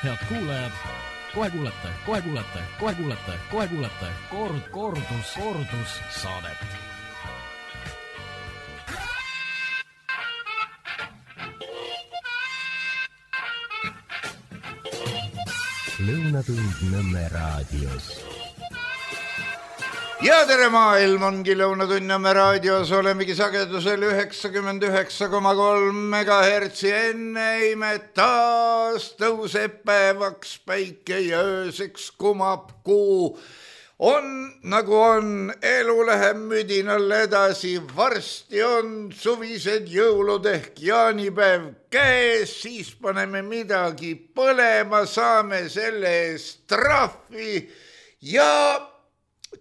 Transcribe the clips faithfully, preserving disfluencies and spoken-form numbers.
Head kuulajad, kohe kuulete, kohe kuulete, kohe kuulete, kohe kuulete kord, kordus, kordus saadet. Lõunatund Nõmme raadios. Ja tere maailm ongi Lõunatund Nõmme raadios, olemegi sagedusel üheksakümmend üheksa koma kolm megahertsi, enne imet taas tõuseb päevaks päike ja ööseks kumab kuu. On nagu on, elu läheb müdinal edasi, varsti on suvised jõulud ehk jaanipäev käes, siis paneme midagi põlema, saame selle eest trahvi ja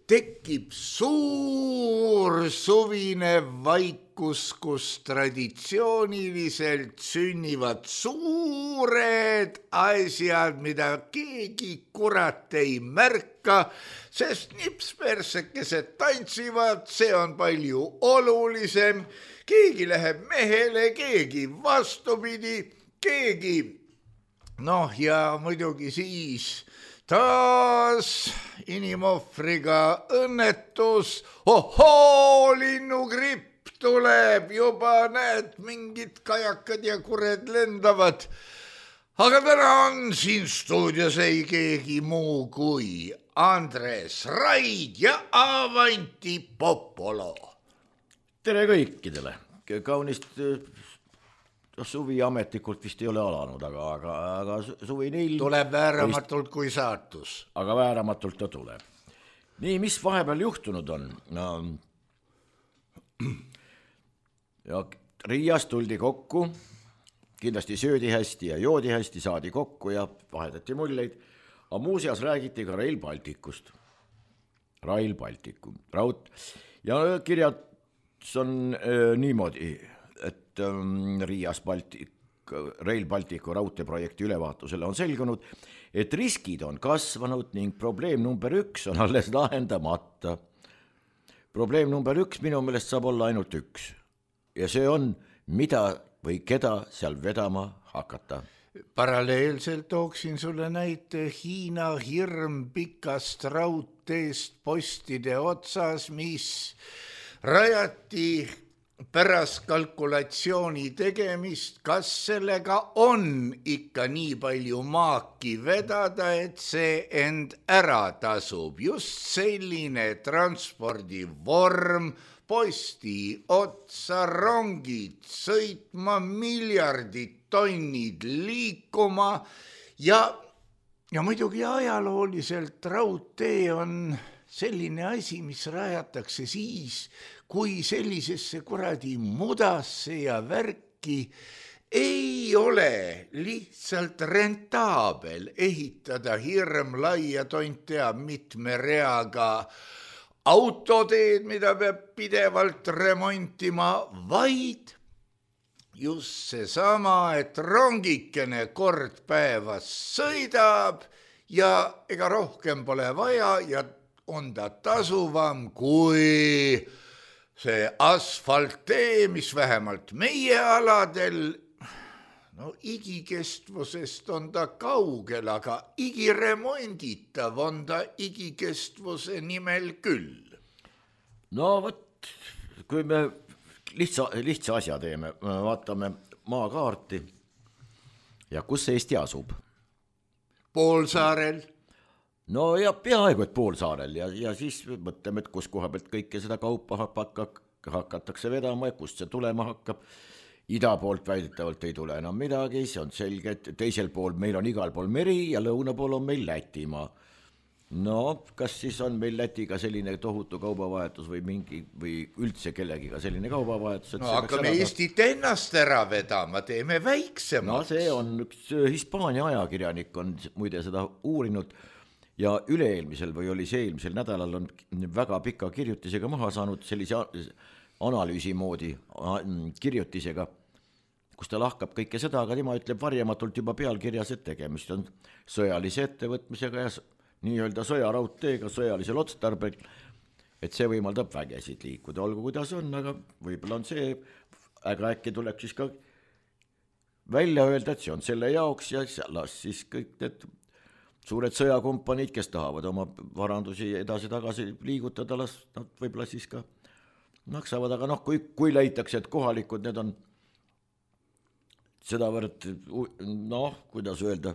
tekib suur suvine vaikus, kus traditsiooniliselt sünnivad suured asjad, mida keegi kurat ei märka, sest nipspersekesed tantsivad, see on palju olulisem. Keegi läheb mehele, keegi vastupidi, keegi, noh ja muidugi siis taas inimohvriga õnnetus, ohoo, linnugripp tuleb, juba näed, mingid kajakad ja kured lendavad. Aga täna on siin stuudios ei keegi muu kui Andres Raid ja Avanti Popolo. Tere kõikidele, kaunist suvi ametlikult vist ei ole alanud, aga, aga, aga suvi neil tuleb vääramatult vist, kui saatus. Aga vääramatult ta tuleb. Nii, mis vahepeal juhtunud on? No, ja Riias tuldi kokku, kindlasti söödi hästi ja joodi hästi, saadi kokku ja vahetati mulleid, aga muuseas räägiti ka Rail Balticust. Rail Balticu, raud. Ja kirjad on äh, niimoodi, et ähm, Riias Baltic, Rail Balticu raudteeprojekti ülevaatusele on selgunud, et riskid on kasvanud ning probleem number üks on alles lahendamata. Probleem number üks minu meelest saab olla ainult üks. Ja see on, mida või keda seal vedama hakata. Paralleelselt tooksin sulle näite Hiina hirm pikast raudteest postide otsas, mis rajati pärast kalkulatsiooni tegemist, kas sellega on ikka nii palju maaki vedada, et see end ära tasub. Just selline transpordivorm, posti otsa, rongid sõitma, miljardid tonnid liikuma ja, ja muidugi ajalooliselt raudtee on selline asi, mis rajatakse siis, kui sellisesse kuradi mudasse ja värki ei ole lihtsalt rentaabel ehitada hirm laia tont teab mitme reaga autoteed, mida peab pidevalt remontima, vaid just seesama, et rongikene kord päevas sõidab ja ega rohkem pole vaja ja on ta tasuvam kui see asfalttee, mis vähemalt meie aladel, no igikestvusest on ta kaugel, aga igiremonditav on ta igikestvuse nimel küll. No võt, kui me lihtsa, lihtsa asja teeme, vaatame maakaarti ja kus Eesti asub? Poolsaarel. No ja peaaegu et Poolsaarel ja, ja siis mõtleme, et kus koha pealt kõike seda kaupa hakkab, hakatakse vedama ja kust see tulema hakkab. Ida poolt väidetavalt ei tule enam midagi, see on selge, et teisel pool meil on igal pool meri ja lõuna pool on meil Lätimaa. No, kas siis on meil Lätiga selline tohutu kaubavahetus või mingi või üldse kellegiga selline kaubavahetus? No hakkame Eestit ennast ära vedama, teeme väiksemaks. No see on üks Hispaania ajakirjanik on muide seda uurinud ja üle-eelmisel või oli see eelmisel nädalal on väga pika kirjutisega maha saanud sellise analüüsi moodi kirjutisega, kus ta lahkab kõike seda, aga tema ütleb varjamatult juba pealkirjas, et tegemist on sõjalise ettevõtmisega ja nii-öelda sõjaraudteega sõjalisel otstarbel, et see võimaldab vägesid liikuda, olgu kuidas on, aga võib-olla on see, aga äkki tuleb siis ka välja öelda, et see on selle jaoks ja las siis kõik need suured sõjakompaniid, kes tahavad oma varandusi edasi-tagasi liigutada, las nad võib-olla siis ka maksavad, aga noh, kui, kui leitakse, et kohalikud need on sedavõrd, noh, kuidas öelda,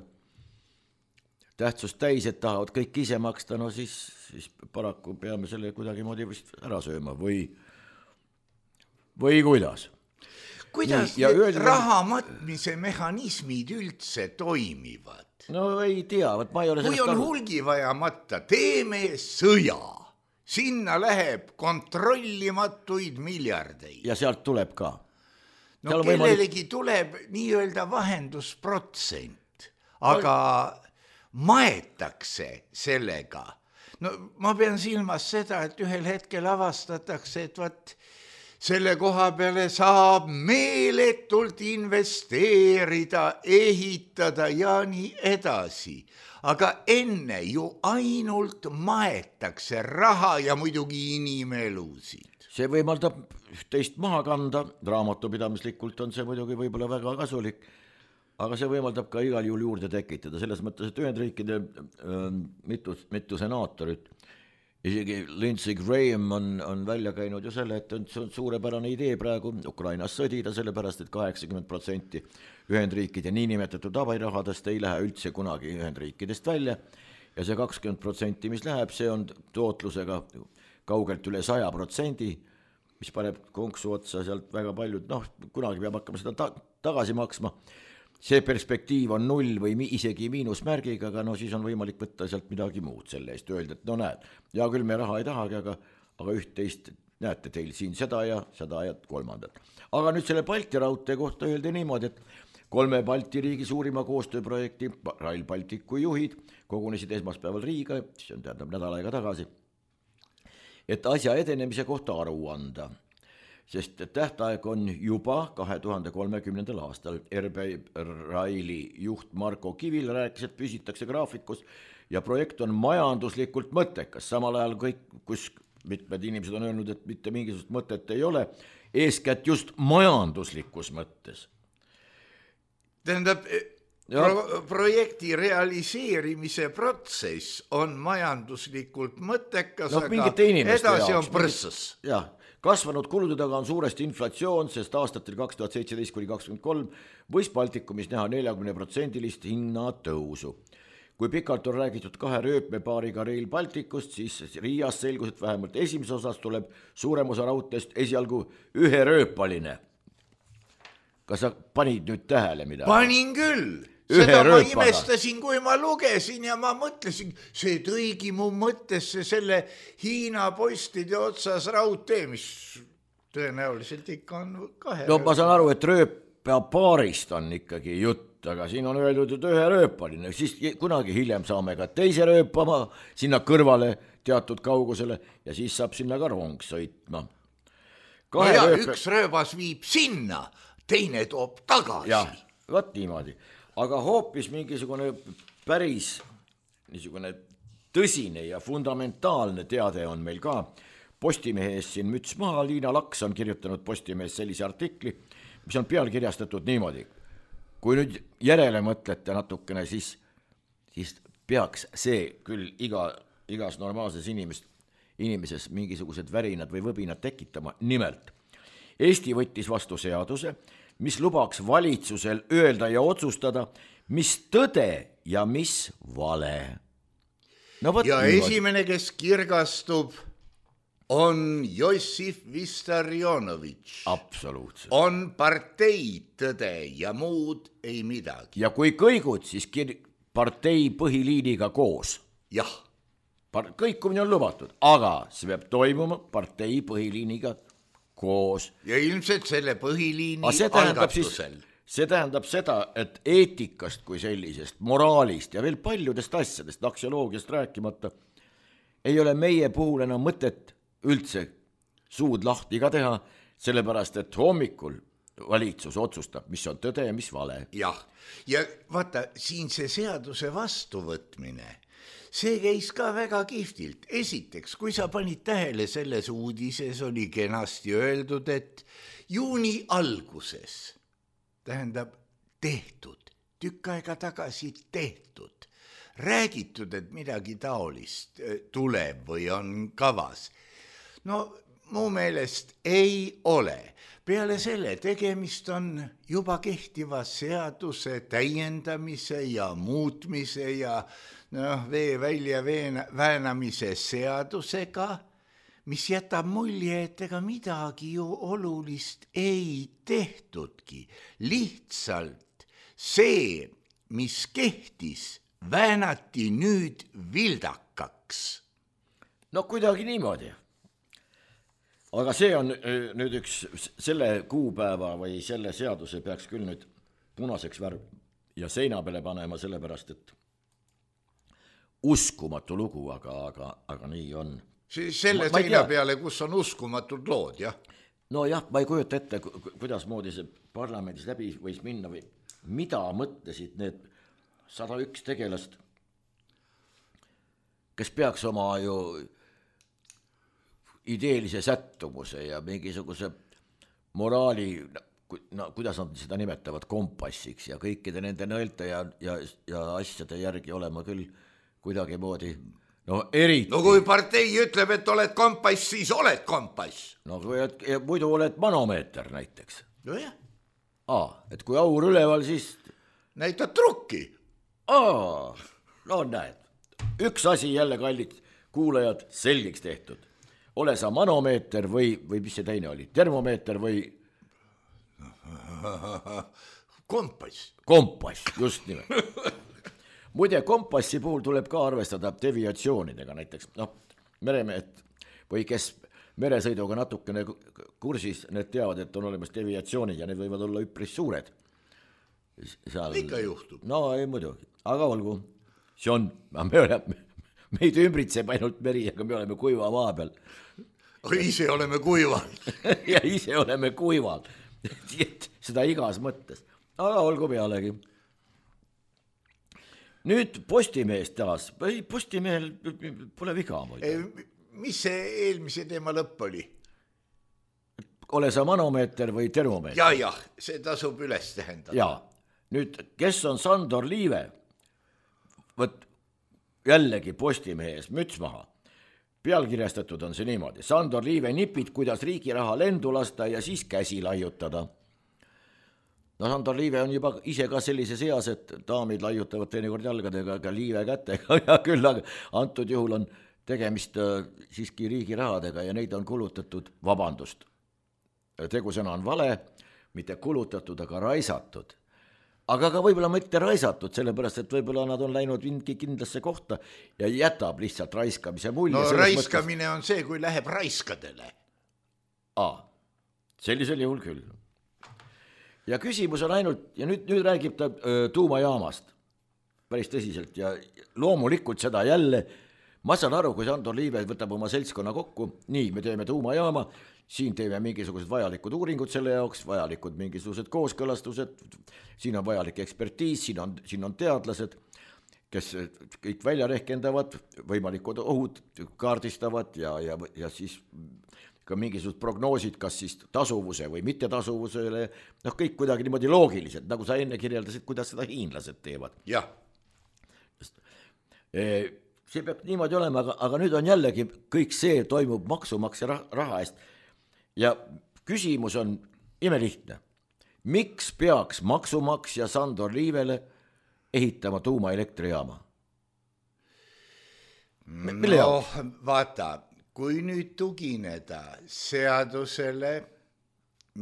tähtsust täis, et tahavad kõik ise maksta, no siis, siis paraku peame selle kuidagi moodi vist ära sööma või, või kuidas. Kuidas Nii, need öeldi, raha matmise mehhanismid üldse toimivad? No ei tea, võt ma ei ole kui on aru. Hulgi vaja matta, teeme sõja. Sinna läheb kontrollimatuid miljardeid. Ja sealt tuleb ka. No kellelegi võimalik... tuleb nii-öelda vahendusprotsent, aga maetakse sellega. No ma pean silmas seda, et ühel hetkel avastatakse, et vaat selle koha peale saab meeletult investeerida, ehitada ja nii edasi. Aga enne ju ainult maetakse raha ja muidugi inimelusid. See võimaldab teist maha kanda, raamatupidamislikult on see muidugi võib-olla väga kasulik, aga see võimaldab ka igal juhul juurde tekitada, selles mõttes, et Ühendriikide äh, mitu, mitu senaatorit, isegi Lindsey Graham on, on välja käinud ju selle, et see on suurepärane idee praegu Ukrainas sõdida, sellepärast et kaheksakümmend protsenti Ühendriikide niinimetatud abirahadest ei lähe üldse kunagi Ühendriikidest välja ja see kakskümmend protsenti, mis läheb, see on tootlusega kaugelt üle saja protsendi, mis paneb konksu otsa sealt väga paljud, noh, kunagi peab hakkama seda ta- tagasi maksma. See perspektiiv on null või isegi miinusmärgiga, aga no siis on võimalik võtta sealt midagi muud selle eest, öelda, et no näed, ja küll me raha ei tahagi, aga, aga üht-teist näete teil siin seda ja seda ja kolmandat. Aga nüüd selle Balti raudtee kohta öeldi niimoodi, et kolme Balti riigi suurima koostööprojekti Rail Balticu juhid kogunesid esmaspäeval Riiga, see on tähendab nädal aega tagasi, et asja edenemise kohta aru anda. Sest tähtaeg on juba kahe tuhande kolmekümnendal aastal. R B Raili juht Marko Kivil rääkis, et püsitakse graafikus ja projekt on majanduslikult mõttekas. Samal ajal kõik, kus mitmed inimesed on öelnud, et mitte mingisugust mõtet ei ole, eeskätt just majanduslikus mõttes. Tähendab, pro- projekti realiseerimise protsess on majanduslikult mõttekas, no, aga edasi on prõssus. Jah. Kasvanud kulude taga on suuresti inflatsioon, sest aastatel kaks tuhat seitseteist kuni kakskümmend kolm võis Baltikumis näha neljakümne protsendilist hinnatõusu. Kui pikalt on räägitud kahe rööpmepaariga Rail Balticust, siis Riias selgus, et vähemalt esimeses osas tuleb suurem osa raudteest esialgu ühe rööpaline. Kas sa panid nüüd tähele midagi? Panin küll. Seda ma imestasin, kui ma lugesin ja ma mõtlesin, see tõigi mu mõttesse selle Hiina postide otsas raudtee, mis tõenäoliselt ikka on kahe. No ma saan aru, et rööpapaarist on ikkagi jutt, aga siin on öeldud, et ühe rööpaline, siis kunagi hiljem saame ka teise rööpama sinna kõrvale teatud kaugusele ja siis saab sinna ka rong sõitma. No ja, rööp... üks rööbas viib sinna, teine toob tagasi. Ja, võt niimoodi. Aga hoopis mingisugune päris niisugune tõsine ja fundamentaalne teade on meil ka. Postimehes siin müts maha, Liina Laks on kirjutanud Postimehes sellise artikli, mis on pealkirjastatud niimoodi. Kui nüüd järele mõtlete natukene, siis, siis peaks see küll iga, igas normaalses inimest, inimeses mingisugused värinad või võbinad tekitama. Nimelt, Eesti võttis vastu seaduse, mis lubaks valitsusel öelda ja otsustada, mis tõde ja mis vale. No, ja niimoodi. Esimene, kes kirgastub, on Jossif Vissarionovitš. Absoluutselt. On partei tõde ja muud ei midagi. Ja kui kõigud, siis kir- partei põhiliiniga koos. Jah. Par- kõikumine on lubatud, aga see peab toimuma partei põhiliiniga koos. Ja ilmselt selle põhiliini algatusel. See tähendab seda, et eetikast kui sellisest, moraalist ja veel paljudest asjadest, aksioloogiast rääkimata, ei ole meie puhul enam mõtet üldse suud lahti ka teha, sellepärast et hommikul valitsus otsustab, mis on tõde ja mis vale. Jah, ja vaata, siin see seaduse vastuvõtmine, see käis ka väga kihvtilt. Esiteks, kui sa panid tähele selles uudises, oli kenasti öeldud, et juuni alguses, tähendab tehtud, tükk aega tagasi tehtud, räägitud, et midagi taolist tuleb või on kavas. No mu meelest ei ole. Peale selle tegemist on juba kehtiva seaduse täiendamise ja muutmise ja noh, vee välja väänamise seadusega, mis jätab mulje, et ega midagi ju olulist ei tehtudki. Lihtsalt see, mis kehtis, väänati nüüd vildakaks. No kuidagi niimoodi. Aga see on nüüd üks selle kuupäeva või selle seaduse peaks küll nüüd punaseks värv ja seina peale panema, sellepärast, et uskumatu lugu, aga, aga, aga nii on. Siis selle ma, seina peale, kus on uskumatud lood, jah? No jah, ma ei kujuta ette, kuidas moodi see parlamendis läbi võis minna või mida mõtlesid need sada üks tegelast, kes peaks oma ju ideelise sättumuse ja mingisuguse moraali, no, kuidas nad seda nimetavad, kompassiks ja kõikide nende nõelte ja, ja, ja asjade järgi olema küll kuidagi moodi, no eriti. No kui partei ütleb, et oled kompass, siis oled kompass. No kui et, muidu oled manomeeter näiteks. No jah. Aa, et kui aur üleval, siis... näitad trukki. Aa, no näed. Üks asi jälle, kallid kuulajad, selgeks tehtud. Ole sa manomeeter või, või mis see teine oli, termomeeter või... kompass. Kompass, just nimelt. Muide, kompassi puhul tuleb ka arvestada deviatsioonidega näiteks. No, meremehed või kes meresõiduga natukene kursis, need teavad, et on olemas deviatsioonid ja need võivad olla üpris suured. Seal... ikka juhtub. No ei muidugi, aga olgu. See on, me oleme... meid ümbritseb ainult meri, aga me oleme kuiva maa peal. Ise oleme kuival. ja ise oleme kuival. Seda igas mõttes. Aga olgu pealegi. Nüüd Postimees taas. Postimehel pole viga. Mis see eelmise teema lõpp oli? Ole sa manomeeter või termomeeter? Ja, jah, see tasub üles tähendada. Ja, nüüd, kes on Sandor Liive? Võt jällegi Postimehes müts maha. Pealkirjastatud on see niimoodi. Sandor Liive nipid, kuidas riigi raha lendu lasta ja siis käsi laiutada. No Sandor Liive on juba ise ka sellises eas, et daamid laiutavad teinekord jalgadega, aga Liive kätega ja küll, aga antud juhul on tegemist siiski riigi rahadega ja neid on kulutatud, vabandust. Tegusõna on vale, mitte kulutatud, aga raisatud. Aga ka võib-olla mitte raisatud, sellepärast, et võib-olla nad on läinud mingi kindlasse kohta ja jätab lihtsalt raiskamise mulje. No raiskamine mõttes... on see, kui läheb raiskadele. Aa, sellisel juhul küll. Ja küsimus on ainult, ja nüüd, nüüd räägib ta öö, tuumajaamast päris tõsiselt ja loomulikult seda jälle, ma saan aru, kui Sandor Liive võtab oma seltskonna kokku, nii, me teeme tuumajaama, siin teeme mingisugused vajalikud uuringud selle jaoks, vajalikud mingisugused kooskõlastused, siin on vajalik ekspertiis, siin on, siin on teadlased, kes kõik välja rehkendavad, võimalikud ohud kaardistavad ja, ja, ja siis ka mingisugused prognoosid, kas siis tasuvuse või mitte tasuvusele, noh kõik kuidagi niimoodi loogilised, nagu sa enne kirjeldasid, kuidas seda hiinlased teevad. Jah. See peab niimoodi olema, aga, aga nüüd on jällegi kõik see toimub maksumaksja raha eest. Ja küsimus on imelihtne. Miks peaks maksumaksja Sandor Liivele ehitama tuumaelektrijaama? Mille no vaata, kui nüüd tugineda seadusele,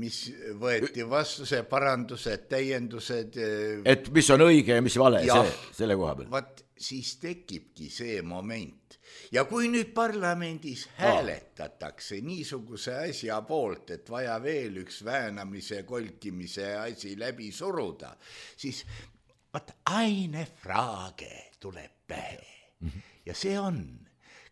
mis võeti vastu, see parandused, täiendused. Et mis on õige ja mis vale, see, selle koha peal. Vaat siis tekibki see moment. Ja kui nüüd parlamendis hääletatakse niisuguse asja poolt, et vaja veel üks väänamise, kolkimise asi läbi suruda, siis vaat aine fraage tuleb pähe. Ja see on,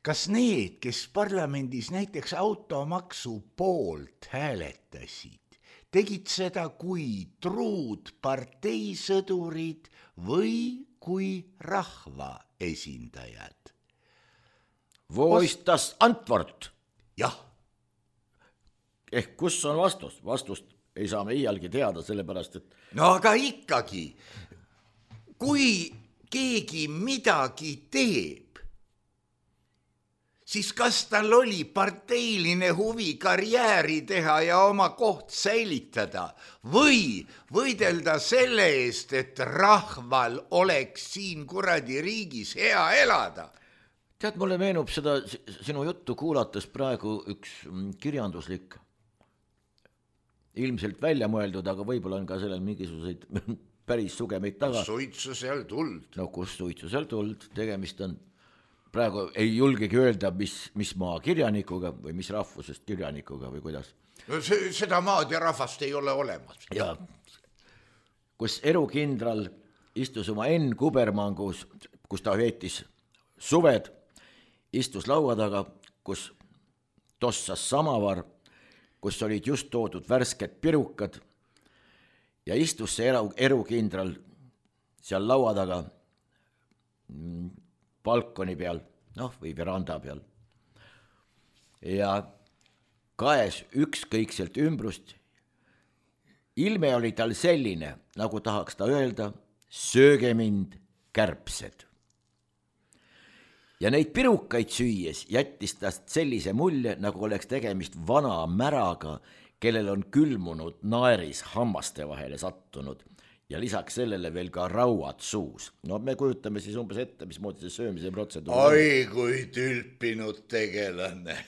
kas need, kes parlamendis näiteks automaksu poolt hääletasid, tegid seda kui truud parteisõdurid või kui rahva esindajad? Wo ist das Antwort? Jah. Ehk kus on vastus? Vastust ei saa me iialgi teada, sellepärast et no aga ikkagi, kui keegi midagi teeb, siis kas tal oli parteiline huvi karjääri teha ja oma koht säilitada või võidelda selle eest, et rahval oleks siin kuradi riigis hea elada? Tead, mulle meenub seda sinu juttu kuulates praegu üks kirjanduslik, ilmselt välja mõeldud, aga võib-olla on ka sellel mingisuguseid päris sugemeid taga. Suitsu seal tuld. No kus suitsu seal tuld, tegemist on, praegu ei julgegi öelda, mis, mis maa kirjanikuga või mis rahvusest kirjanikuga või kuidas. No see, seda maad ja rahvast ei ole olemas. Ja kus erukindral istus oma Enn Kubermangus, kus ta veetis suved, istus laua taga, kus tossas samavar, kus olid just toodud värsked pirukad ja istus see eru, erukindral seal laua taga balkoni peal, noh, või veranda peal. Ja kaes ükskõikselt ümbrust. Ilme oli tal selline, nagu tahaks ta öelda, sööge mind kärbsed. Ja neid pirukaid süües jättis tast sellise mulje, nagu oleks tegemist vana märaga, kellel on külmunud naeris hammaste vahele sattunud ja lisaks sellele veel ka rauad suus. No me kujutame siis umbes ette, mismoodi see söömise protseduur. Oi, kui tülpinud tegelane.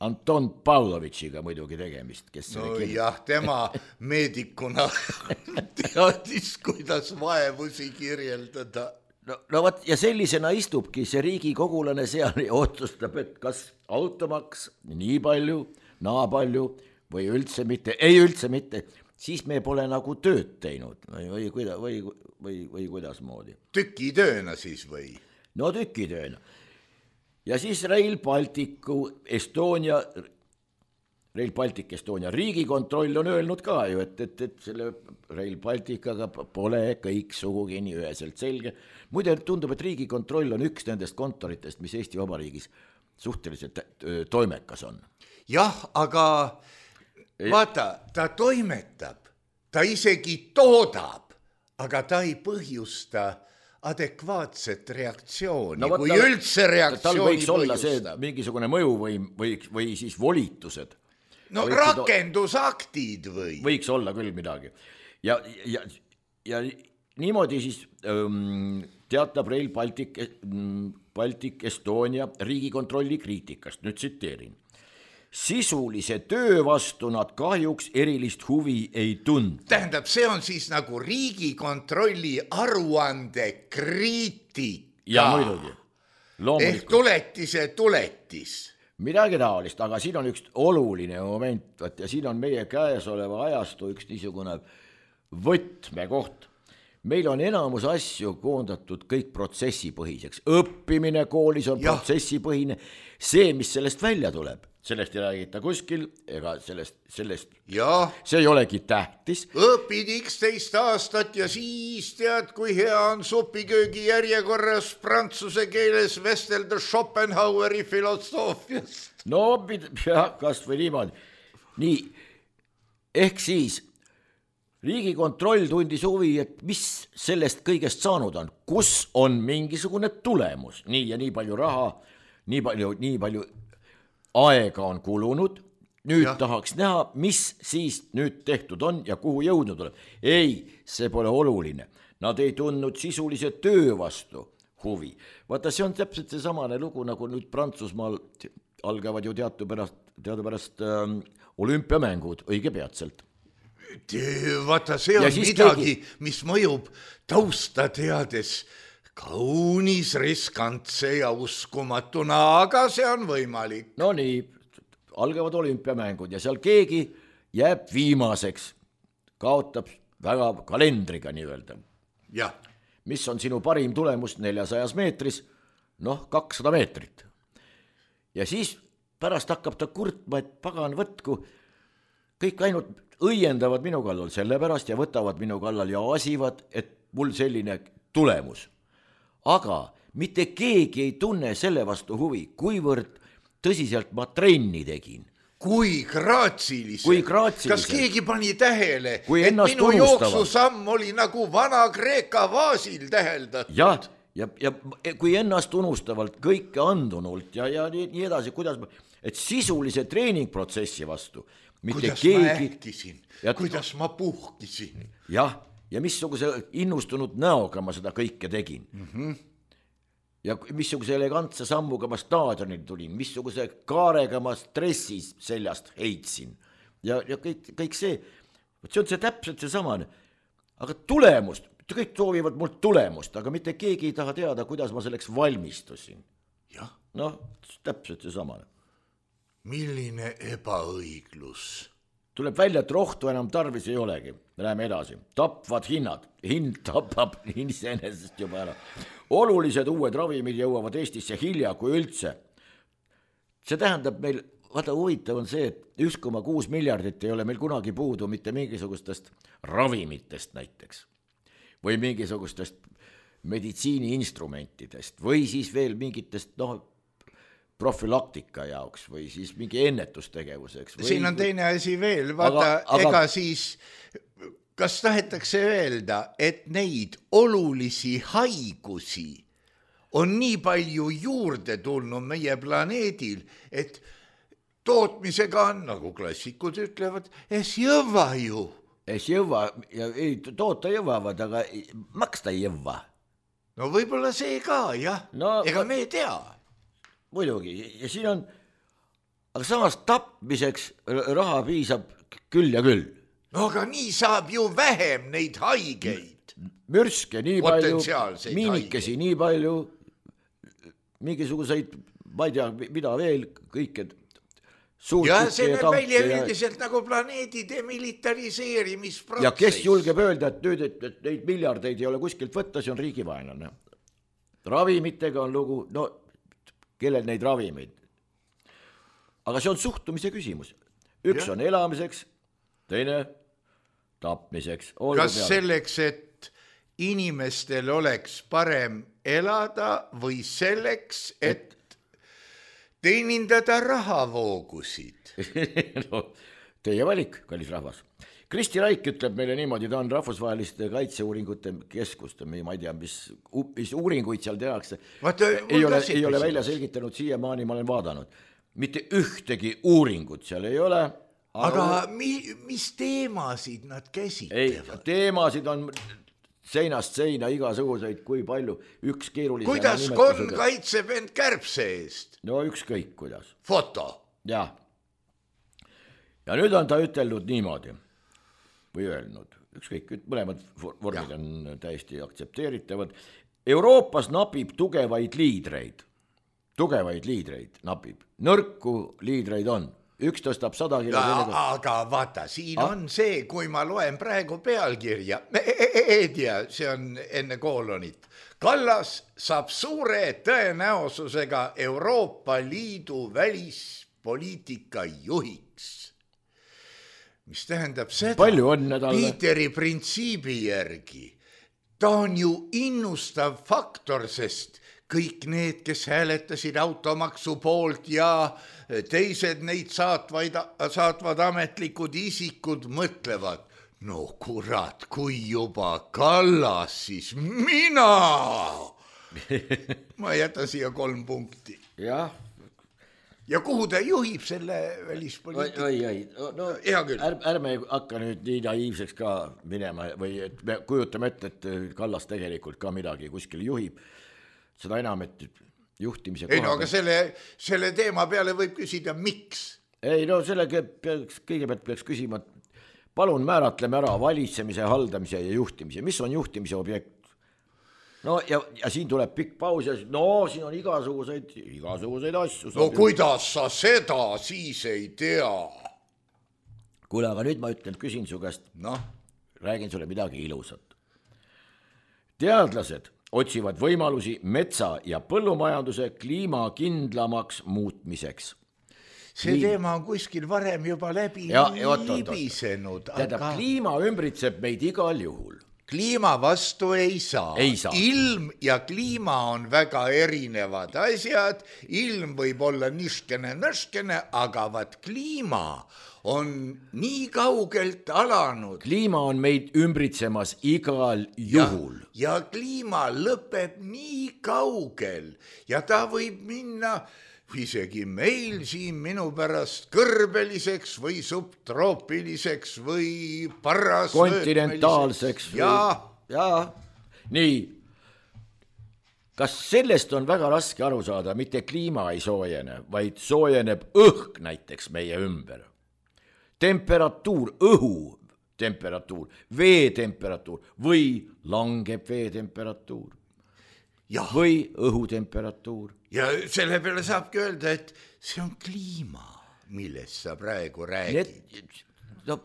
Anton Pavlovitšiga muidugi tegemist, kes no jah, tema meedikuna teadis, kuidas vaevusi kirjeldada. No, no võt, ja sellisena istubki see riigikogulane seal ja otsustab, et kas automaks nii palju, naa palju või üldse mitte, ei üldse mitte, siis me pole nagu tööd teinud või, või, või, või, või, või kuidas moodi. Tükitööna siis või? No tükitööna. Ja siis Rail Balticu Estonia, Rail Baltic Estonia riigikontroll on öelnud ka ju, et, et, et selle Rail Balticaga pole kõik sugugi nii üheselt selge. Muide tundub, et riigikontroll on üks nendest kontoritest, mis Eesti Vabariigis suhteliselt toimekas on. Jah, aga vaata, ta toimetab, ta isegi toodab, aga ta ei põhjusta adekvaatset reaktsiooni, no, kui tal, üldse reaktsiooni tal võiks olla see mingisugune mõjuvõim või, või siis volitused. No võiks rakendusaktid või? Võiks olla küll midagi. Ja, ja, ja niimoodi siis ähm, teatab Rail Baltic, Baltic Estonia riigikontrolli kriitikast, nüüd tsiteerin. Sisulise töö vastu nad kahjuks erilist huvi ei tund. Tähendab, see on siis nagu riigikontrolli aruande kriitika. Ja muidugi. Ehk tuletise tuletis. Midagi taolist, aga siin on üks oluline moment, ja siin on meie käesoleva ajastu üks niisugune võtmekoht. Meil on enamus asju koondatud kõik protsessipõhiseks. Õppimine koolis on ja. protsessipõhine. See, mis sellest välja tuleb, sellest ei räägita kuskil, ega sellest, sellest ja. See ei olegi tähtis. Õpid üksteist aastat ja siis tead, kui hea on supiköögi järjekorras prantsuse keeles vestelda Schopenhaueri filosoofiast. No, jah, kas või niimoodi. Nii, ehk siis riigikontroll tundis huvi, et mis sellest kõigest saanud on, kus on mingisugune tulemus, nii ja nii palju raha, nii palju, nii palju aega on kulunud, nüüd ja. tahaks näha, mis siis nüüd tehtud on ja kuhu jõudnud tuleb. Ei, see pole oluline. Nad ei tundnud sisulise töö vastu huvi. Vaata, see on täpselt see samane lugu, nagu nüüd Prantsusmaal algavad ju teadupärast, teadupärast ähm, olümpiamängud õige peatselt. Vaata, see on midagi, keegi... mis mõjub tausta teades kaunis riskantse ja uskumatuna, aga see on võimalik. No nii, algavad olümpiamängud ja seal keegi jääb viimaseks, kaotab väga kalendriga nii-öelda. Jah. Mis on sinu parim tulemus neljasajas meetris? Noh, kakssada meetrit. Ja siis pärast hakkab ta kurtma, et pagan võtku, kõik ainult õiendavad minu kallal selle pärast ja võtavad minu kallal ja asivad, et mul selline tulemus. Aga mitte keegi ei tunne selle vastu huvi, kuivõrd tõsiselt ma trenni tegin, kui graatsilised. Kui graatsilised. Kas keegi pani tähele, kui et minu tunnustavalt. jooksusamm oli nagu vana Kreeka vaasil täheldatud? Jah, ja, ja kui ennast tunnustavalt kõike andunult ja, ja nii, nii edasi, kuidas ma, et sisulise treeningprotsessi vastu mitte kuidas keegi... ma ähkisin, ja, kuidas ma puhkisin. Jah, ja missuguse innustunud näoga ma seda kõike tegin. Mm-hmm. Ja missuguse elegantse sammuga ma staadionil tulin, missuguse kaarega ma stressis seljast heitsin. Ja, ja kõik, kõik see, see on see täpselt see samane. Aga tulemust, kõik soovivad mult tulemust, aga mitte keegi ei taha teada, kuidas ma selleks valmistusin. Jah. Noh, täpselt see samane. Milline ebaõiglus. Tuleb välja, et rohtu enam tarvis ei olegi. Läheme edasi. Tapvad hinnad. Hind tapab iseenesest juba ära. Olulised uued ravimid jõuavad Eestisse hilja kui üldse. See tähendab meil, vaata huvitav on see, et üks koma kuus miljardit ei ole meil kunagi puudu mitte mingisugustest ravimitest näiteks. Või mingisugustest meditsiiniinstrumentidest. Või siis veel mingitest, noh, profülaktika jaoks või siis mingi ennetustegevuseks. Või... Siin on teine asi veel, vaata, aga, aga... ega siis, kas tahetakse öelda, et neid olulisi haigusi on nii palju juurde tulnud meie planeedil, et tootmisega on, nagu klassikud ütlevad, es jõva ju. Es jõva, ja ei, toota jõvavad, aga maksta ei jõva. No võib-olla see ka, jah, no, ega me ei tea. Muidugi, ja siin on, aga samas tapmiseks raha piisab küll ja küll. No aga nii saab ju vähem neid haigeid. Mürske nii palju, miinikesi nii palju, mingisuguseid, ma ei tea, mida veel, kõike ja see näeb välja üldiselt ja... nagu planeedi demilitariseerimisprotsess. Ja kes julgeb öelda, et nüüd, et, et neid miljardeid ei ole kuskilt võtta, see on riigivaenlane. Ravimitega on lugu, no kellel neid ravimeid. Aga see on suhtumise küsimus. Üks ja. On elamiseks, teine tapmiseks. Olgu kas peale. Selleks, et inimestel oleks parem elada või selleks, et, et... teenindada rahavoogusid? No, teie valik, kallis rahvas. Kristi Raik ütleb meile niimoodi, ta on rahvusvaheliste kaitseuuringute keskust, ma ei tea, mis, mis uuringuid seal tehakse. Vaata, ei ole, ei ole välja selgitanud siiamaani, ma olen vaadanud. Mitte ühtegi uuringut seal ei ole. Aga, aga mi, mis teemasid nad käsitlevad? Ei, teemasid on seinast seina igasuguseid, kui palju, üks keerulisema kuidas nimetusega. Konn kaitseb end kärbse eest? No ükskõik kuidas. Foto? Ja. Ja nüüd on ta ütelnud niimoodi. Või öelnud, ükskõik, mõlemad vormid ja. On täiesti aktsepteeritavad. Euroopas napib tugevaid liidreid. Tugevaid liidreid napib. Nõrku liidreid on. Üks tõstab sada kilo. Ja, aga vaata, siin ah? on see, kui ma loen praegu pealkirja. Ei tea, see on enne koolonit. Kallas saab suure tõenäosusega Euroopa Liidu välispoliitika juhiks. Mis tähendab seda, Piiteri printsiibi järgi, ta on ju innustav faktor, sest kõik need, kes hääletasid automaksu poolt ja teised neid saatvaid, saatvad ametlikud isikud mõtlevad, no kurat, kui juba Kallas, siis mina! Ma jätan siia kolm punkti. Jah. Ja kuhu ta juhib selle välispoliitika? Oi, oi, no, är, ärme hakka nüüd nii naiivseks ka minema või et me kujutame ette, et Kallas tegelikult ka midagi kuskil juhib. Seda enam, et juhtimise ei, no, aga selle, selle teema peale võib küsida, miks? Ei, no selle peaks, kõigepealt peaks küsima, palun määratleme ära valitsemise, haldamise ja juhtimise. Mis on juhtimise objekt? No ja, ja siin tuleb pikk paus ja no siin on igasuguseid, igasuguseid asju. No kuidas sa seda siis ei tea? Kuule, aga nüüd ma ütlen, küsin su käest, no? Räägin sulle midagi ilusat. Teadlased otsivad võimalusi metsa- ja põllumajanduse kliimakindlamaks muutmiseks. See Kliim... teema on kuskil varem juba läbi ja, libisenud. Aga... Tähendab, kliima ümbritseb meid igal juhul. kliima vastu ei saa. ei saa. Ilm ja kliima on väga erinevad asjad, ilm võib olla niškene, nõškene, aga vaat kliima on nii kaugelt alanud. kliima on meid ümbritsemas igal juhul. Ja, ja kliima lõpeb nii kaugel ja ta võib minna isegi meil siin minu pärast kõrbeliseks või subtroopiliseks või parasvöötmeliseks. Ja. ja, nii. Kas sellest on väga raske aru saada, mitte kliima ei soojene, vaid soojeneb õhk näiteks meie ümber. Temperatuur, õhu temperatuur, vee temperatuur või langeb vee temperatuur ja. või õhu temperatuur. Ja selle peale saabki öelda, et see on kliima, millest sa praegu räägid. Need, no,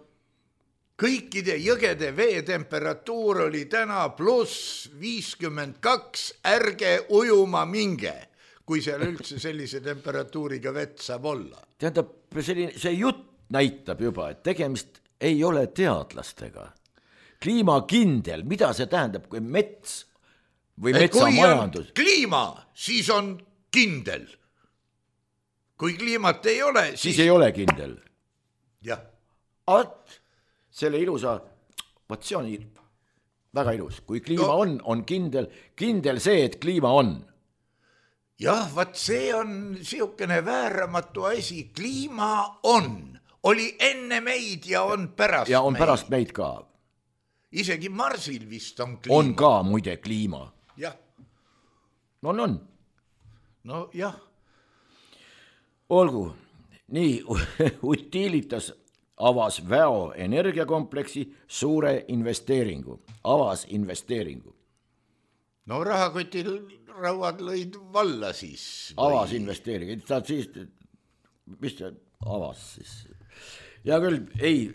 kõikide jõgede vee temperatuur oli täna pluss viiskümmend kaks, ärge ujuma minge, kui seal üldse sellise temperatuuriga vett saab olla. Tähendab, selline, see jutt näitab juba, et tegemist ei ole teadlastega. Kliimakindel, mida see tähendab, kui mets või metsamajandus? Kui on kliima, siis on kindel. Kui kliimat ei ole, siis... Siis ei ole kindel. Jah. At, selle ilusa, vaat see on väga ilus. Kui kliima no. on, on kindel, kindel see, et kliima on. Jah, vaat see on siukene vääramatu asi. Kliima on. Oli enne meid ja on pärast meid. Ja on meid. Pärast meid ka. Isegi Marsil vist on kliima. On ka muide kliima. Jah. No on, on. No jah. Olgu, nii Utilitas avas Väo energiakompleksi suure investeeringu, avas investeeringu. No rahakotil rauad lõid valla siis. Või... Avas investeeringu, ta siis, mis ta avas siis? Ja küll, ei,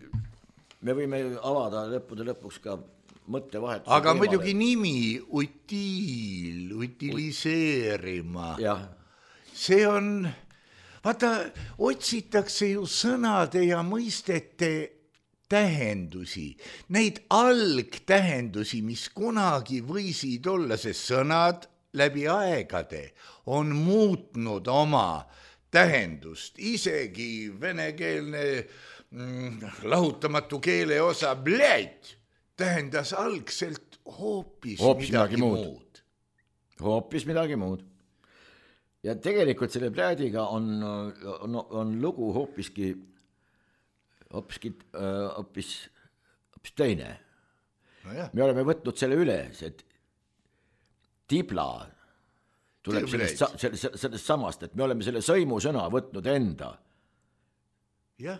me võime avada lõppude lõpuks ka mõttevahetus. Aga teemale. Muidugi nimi, utiil, utiliseerima. Jah. See on, vaata, otsitakse ju sõnade ja mõistete tähendusi. Neid algtähendusi, mis kunagi võisid olla, see sõnad läbi aegade on muutnud oma tähendust. Isegi venekeelne mm, lahutamatu keele osa bled tähendas algselt hoopis, hoopis midagi, midagi muud. muud. Hoopis midagi muud. Ja tegelikult selle plädiga on, on, on lugu hoopiski, hoopiski hoopis, hoopis teine. No jah. Me oleme võtnud selle üles, et tibla tuleb sellest, sellest, sellest samast, et me oleme selle sõimusõna võtnud enda. Jah.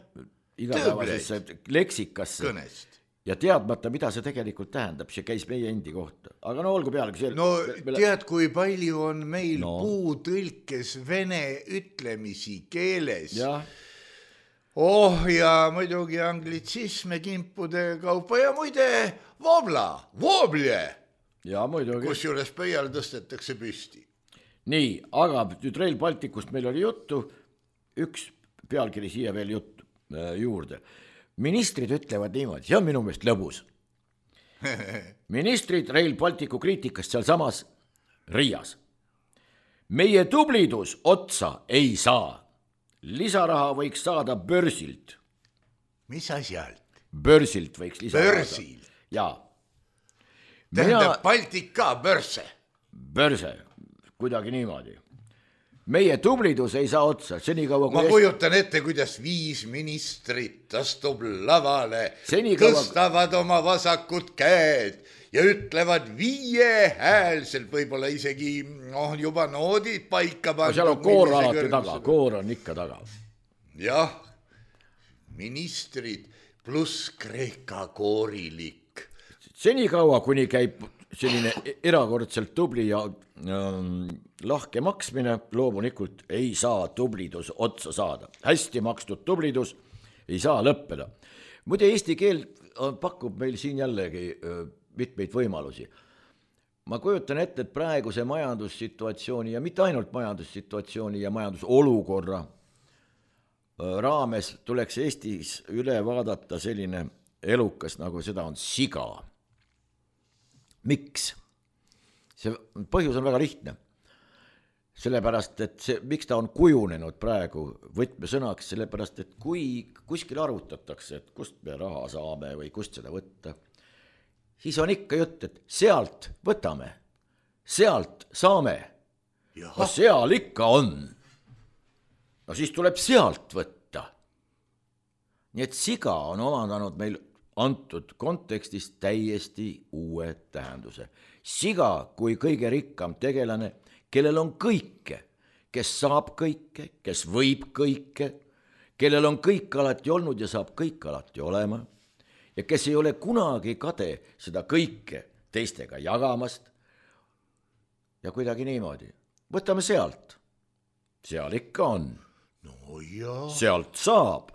Igapäevasesse leksikasse. Kõnest. Ja teadmata, mida see tegelikult tähendab, see käis meie endi kohta. Aga no olgu peale. See, no me, tead, kui palju on meil no. puutõlkes vene ütlemisi keeles. Ja. Oh ja muidugi anglitsisme kimpude kaupa ja muide vobla, voblje. Ja muidugi. Kus juures pöial tõstetakse püsti. Nii, aga nüüd Rail Balticust meil oli juttu, üks pealkiri siia veel juttu äh, juurde. Ministrid ütlevad niimoodi, see on minu meelest lõbus. Ministrid Rail Balticu kriitikast seal samas Riias. Meie tublidus otsa ei saa. Lisaraha võiks saada börsilt. Mis asjalt? Börsilt võiks lisaraha saada. Börsilt? Jaa. Tähendab Mina... Baltika börse? Börse, kuidagi niimoodi. Meie tublidus ei saa otsa, senikaua kui... Ma kujutan ette, kuidas viis ministrit astub lavale, senikaua... tõstavad oma vasakut käed ja ütlevad viiehäälselt, võib-olla isegi oh, juba noodid paika pandud. Seal on koor alati taga, koor on ikka taga. Jah, ministrid pluss Kreeka koorilik. Senikaua, kuni käib selline erakordselt tubli ja ähm, lahke maksmine, loomulikult ei saa tublidus otsa saada. Hästi makstud tublidus ei saa lõppeda. Muide, eesti keel pakub meil siin jällegi äh, mitmeid võimalusi. Ma kujutan ette, et praeguse majandussituatsiooni ja mitte ainult majandussituatsiooni ja majandusolukorra äh, raames tuleks Eestis üle vaadata selline elukas, nagu seda on siga. miks? See põhjus on väga lihtne. Sellepärast, et see, miks ta on kujunenud praegu võtmesõnaks, sellepärast, et kui kuskil arvutatakse, et kust me raha saame või kust seda võtta, siis on ikka jutt, et sealt võtame, sealt saame. No seal ikka on. No siis tuleb sealt võtta. Nii et siga on omandanud meil antud kontekstis täiesti uue tähenduse. Siga kui kõige rikkam tegelane, kellel on kõike, kes saab kõike, kes võib kõike, kellel on kõik alati olnud ja saab kõik alati olema ja kes ei ole kunagi kade seda kõike teistega jagamast. Ja kuidagi niimoodi. Võtame sealt. Seal ikka on. No jaa. Sealt saab.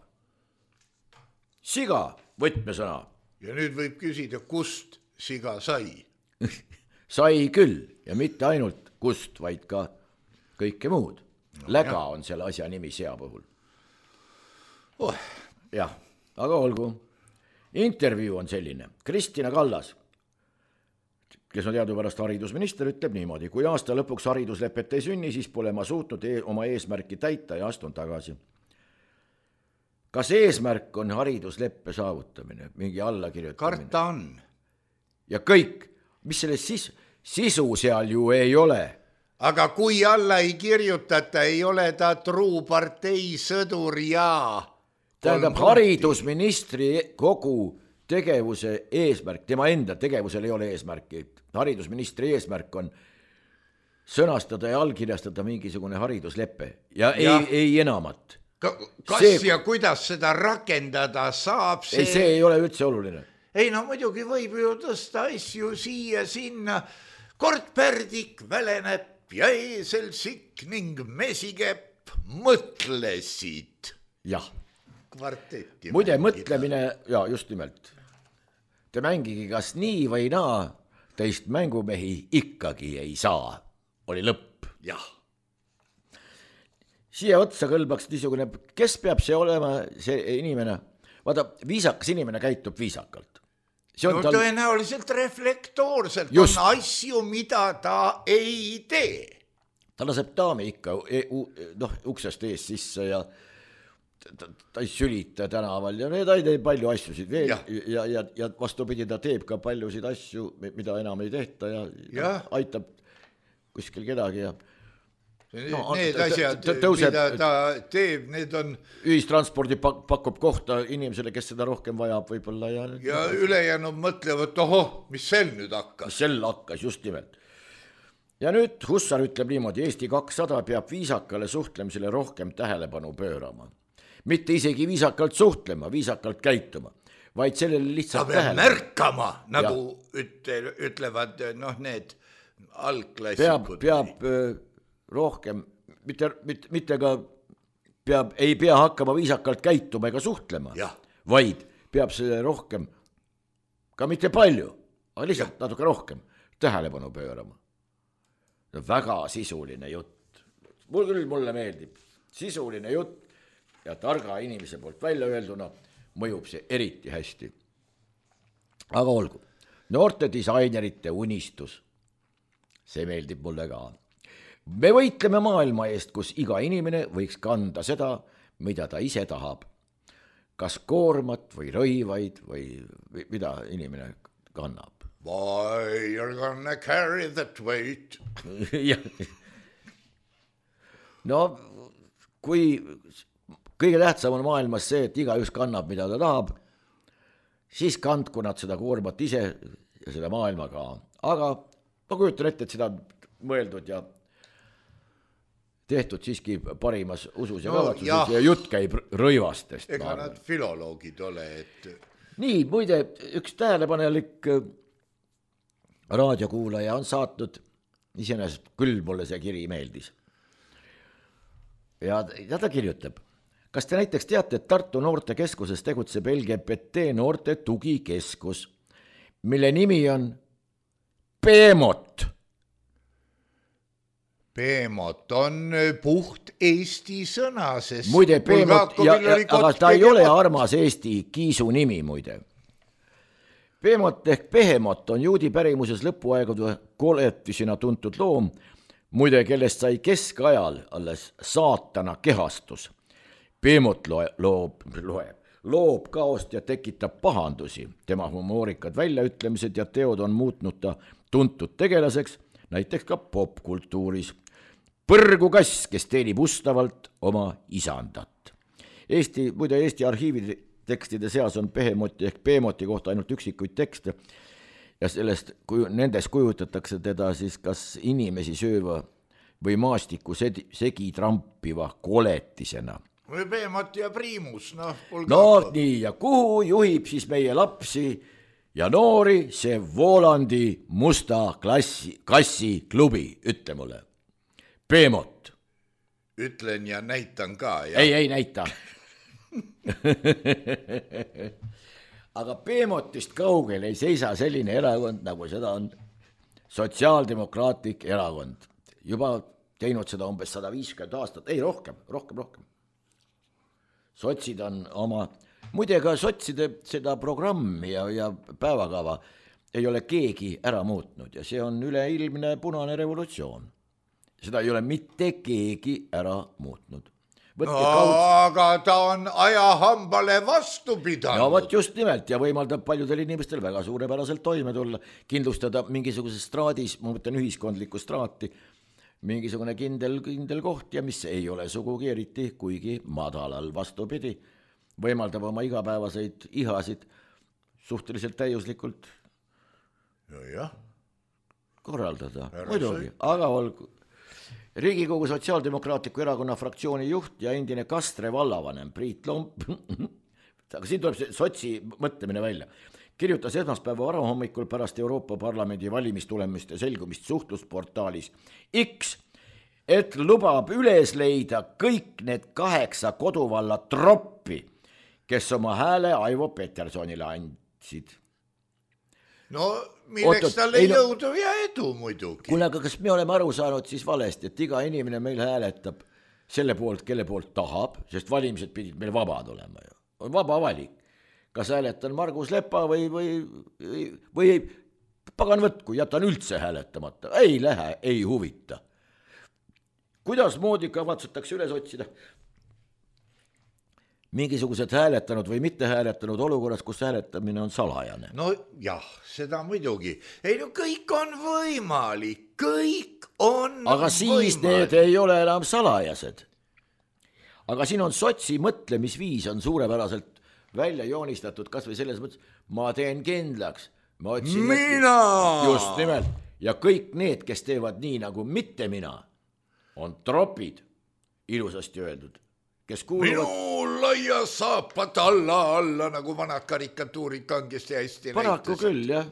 Siga, võtmesõna. Ja nüüd võib küsida, kust siga sai? Sai küll ja mitte ainult kust, vaid ka kõike muud. No, Läga jah. On selle asja nimi sea puhul. Oh. Jah, aga olgu. Intervjuu on selline. Kristina Kallas, kes on teadupärast haridusminister, ütleb niimoodi. Kui aasta lõpuks hariduslepet ei sünni, siis pole ma suutnud e- oma eesmärki täita ja astun tagasi. Kas eesmärk on haridusleppe saavutamine? Mingi alla kirjutamine? Karta on. Ja kõik, mis selles sis- sisu seal ju ei ole. Aga kui alla ei kirjutata, ei ole ta truu partei sõdur ja... Tähendab, haridusministri kogu tegevuse eesmärk, tema enda tegevusel ei ole eesmärki. Haridusministri eesmärk on sõnastada ja allkirjastada mingisugune haridusleppe ja, ja. Ei, ei enamat. Kas see, ja kuidas seda rakendada saab? See... Ei, see ei ole üldse oluline. Ei, no muidugi võib ju tõsta asju siia sinna. Kord pärdik väleneb ja eesel sikk ning mesikepp mõtlesid. Jah. Kvartetti. Muide, mõtlemine, ja just nimelt. Te mängigi kas nii või naa, teist mängumehi ikkagi ei saa. Oli lõpp. Jah. Siia otsa kõlbaks niisugune, kes peab see olema, see inimene? Vaata, viisakas inimene käitub viisakalt. No tal... tõenäoliselt reflektoorselt just. On asju, mida ta ei tee. Ta laseb daami ikka noh, uksest ees sisse ja ta, ta ei sülita tänaval ja ta ei tee palju asjusid veel ja, ja, ja, ja vastupidi ta teeb ka paljusid asju, mida enam ei tehta ja, ja. aitab kuskil kedagi ja No, need asjad, tõuseb, mida ta teeb, need on... Ühistranspordi pakub kohta inimesele, kes seda rohkem vajab võib-olla. Ja, ja ülejäänud mõtlevad, ohoh, mis sel nüüd hakkas? Mis sel hakkas, just nimelt. Ja nüüd Hussar ütleb niimoodi, Eesti kakssada peab viisakale suhtlemisele rohkem tähelepanu pöörama. Mitte isegi viisakalt suhtlema, viisakalt käituma, vaid sellele lihtsalt tähelepanu. Märkama, nagu ütle, ütlevad noh, need algklassikud. Peab... peab rohkem, mitte, mitte, mitte ka peab, ei pea hakkama viisakalt käituma ega suhtlema, ja. Vaid peab selle rohkem, ka mitte palju, aga lihtsalt ja. Natuke rohkem tähelepanu pöörama. Väga sisuline jutt. Mul küll mulle meeldib. Sisuline jutt ja targa inimese poolt välja öelduna mõjub see eriti hästi. Aga olgu. Noorte disainerite unistus. See meeldib mulle ka. Me võitleme maailma eest, kus iga inimene võiks kanda seda, mida ta ise tahab. Kas koormat või rõivaid või mida inimene kannab. Why you're gonna carry that weight? No, kui kõige tähtsam on maailmas see, et igaüks kannab, mida ta tahab, siis kandku nad seda koormat ise ja selle maailma ka. Aga ma kujutan ette, et seda on mõeldud ja tehtud siiski parimas usus ja no, kavatsuses ja. ja jutt käib rõivastest. Ega nad filoloogid ole, et... Nii, muide, üks tähelepanelik raadiokuulaja on saatnud, iseenesest küll mulle see kiri meeldis. Ja, ja ta kirjutab, kas te näiteks teate, et Tartu noortekeskuses tegutseb L G B T noorte tugikeskus, mille nimi on Peemot. Peemot on puht Eesti sõna, sest... Muide, Peemot, ja, ja, aga ta ei ole armas Eesti kiisu nimi, muide. Behemoth ehk Behemoth on juudi pärimuses lõpuaegade koletisena tuntud loom, muide, kellest sai keskajal alles saatana kehastus. Behemoth loob, loeb, loob kaost ja tekitab pahandusi. Tema humoorikad väljaütlemised ja teod on muutnud ta tuntud tegelaseks, näiteks ka popkultuuris. Põrgu kass, kes teenib ustavalt oma isandat. Eesti, muide Eesti arhiivide tekstide seas on Behemothi ehk Behemothi kohta ainult üksikuid tekste ja sellest, kui nendes kujutatakse teda siis kas inimesi sööva või maastiku segi trampiva koletisena. Või Behemoth ja Priimus, noh. No nii, ja kuhu juhib siis meie lapsi ja noori see Voolandi musta klassi, kassi klubi, ütle mulle. Behemoth. Ütlen ja näitan ka. Ja... Ei, ei näita. Aga Behemothist kaugel ei seisa selline erakond, nagu seda on sotsiaaldemokraatlik erakond. Juba teinud seda umbes sada viiskümmend aastat, ei rohkem, rohkem, rohkem. Sotsid on oma, muide ka sotside seda programmi ja, ja päevakava ei ole keegi ära muutnud ja see on üleilmne punane revolutsioon. Seda ei ole mitte keegi ära muutnud. No, aga ta on ajahambale vastu pidanud. No võt just nimelt ja võimaldab paljudel inimestel väga suurepäraselt toime tulla, kindlustada mingisuguses straadis, ma mõtlen ühiskondlikku straati, mingisugune kindel, kindel koht ja mis ei ole sugugi eriti, kuigi madalal vastupidi, võimaldab oma igapäevaseid ihasid suhteliselt täiuslikult ja, ja. korraldada. Muidugi, aga olgu. Riigikogu Sotsiaaldemokraatliku erakonna fraktsiooni juht ja endine Kastre vallavanem Priit Lomp, aga siin tuleb see sotsi mõtlemine välja, kirjutas esmaspäeva varahommikul pärast Euroopa Parlamendi valimistulemuste selgumist suhtlusportaalis X, et lubab üles leida kõik need kaheksa koduvalla troppi, kes oma hääle Aivo Petersonile andsid. No milleks talle ei jõudu ja edu muidugi. Kuule, aga kas me oleme aru saanud siis valesti, et iga inimene meil hääletab selle poolt, kelle poolt tahab, sest valimised pidid meil vabad olema ju. On vaba valik. Kas hääletan Margus Lepa või, või, või, või ei, pagan võtku, jätan üldse hääletamata. Ei lähe, ei huvita. Kuidas moodi kavatsetakse üles otsida? Mingisugused hääletanud või mitte hääletanud olukorras, kus hääletamine on salajane. No jah, seda muidugi. Ei no kõik on võimalik, kõik on aga siis võimalik. Need ei ole enam salajased. Aga siin on sotsi mõtlemisviis on suurepäraselt välja joonistatud, kas või selles mõttes, ma teen kindlaks. Ma otsin, mina! Just nimelt. Ja kõik need, kes teevad nii nagu mitte mina, on tropid, ilusasti öeldud. Kes kuuluvad... Minu laia saapad alla, alla, nagu vanad karikatuurid kangesti hästi paraku näitasid. Küll, jah.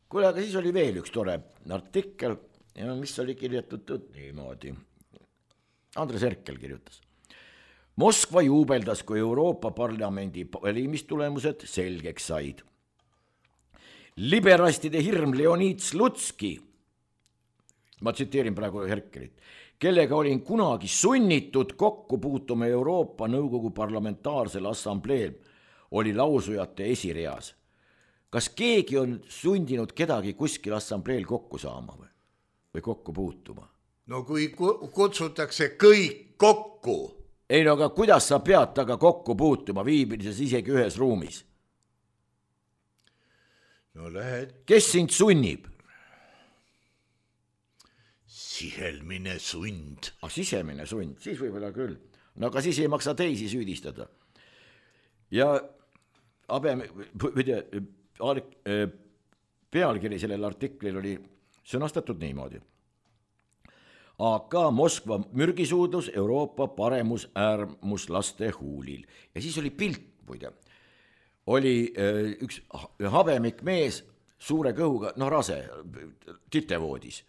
Kuule, aga siis oli veel üks tore artikkel, ja mis oli kirjutatud niimoodi. Andres Herkel kirjutas. Moskva juubeldas, kui Euroopa Parlamendi valimistulemused selgeks said. Liberastide hirm Leonid Slutski, ma tsiteerin praegu Herkelit, kellega olin kunagi sunnitud kokku puutuma Euroopa Nõukogu parlamentaarsel assambleel, oli lausujate esireas. Kas keegi on sundinud kedagi kuskil assambleel kokku saama või, või kokku puutuma? No kui kutsutakse kõik kokku. Ei no aga kuidas sa pead taga kokku puutuma, viibides isegi ühes ruumis? No lähed. Kes sind sunnib? Sisemine sund. Ah, sisemine sund, siis võib-olla küll. No aga siis ei maksa teisi süüdistada. Ja abe, pealkiri sellel artiklil oli sõnastatud niimoodi. A K Moskva mürgisuudlus Euroopa paremus äärmuslaste huulil. Ja siis oli pilt, muide. Oli üks habemik mees suure kõhuga, noh rase, titevoodis.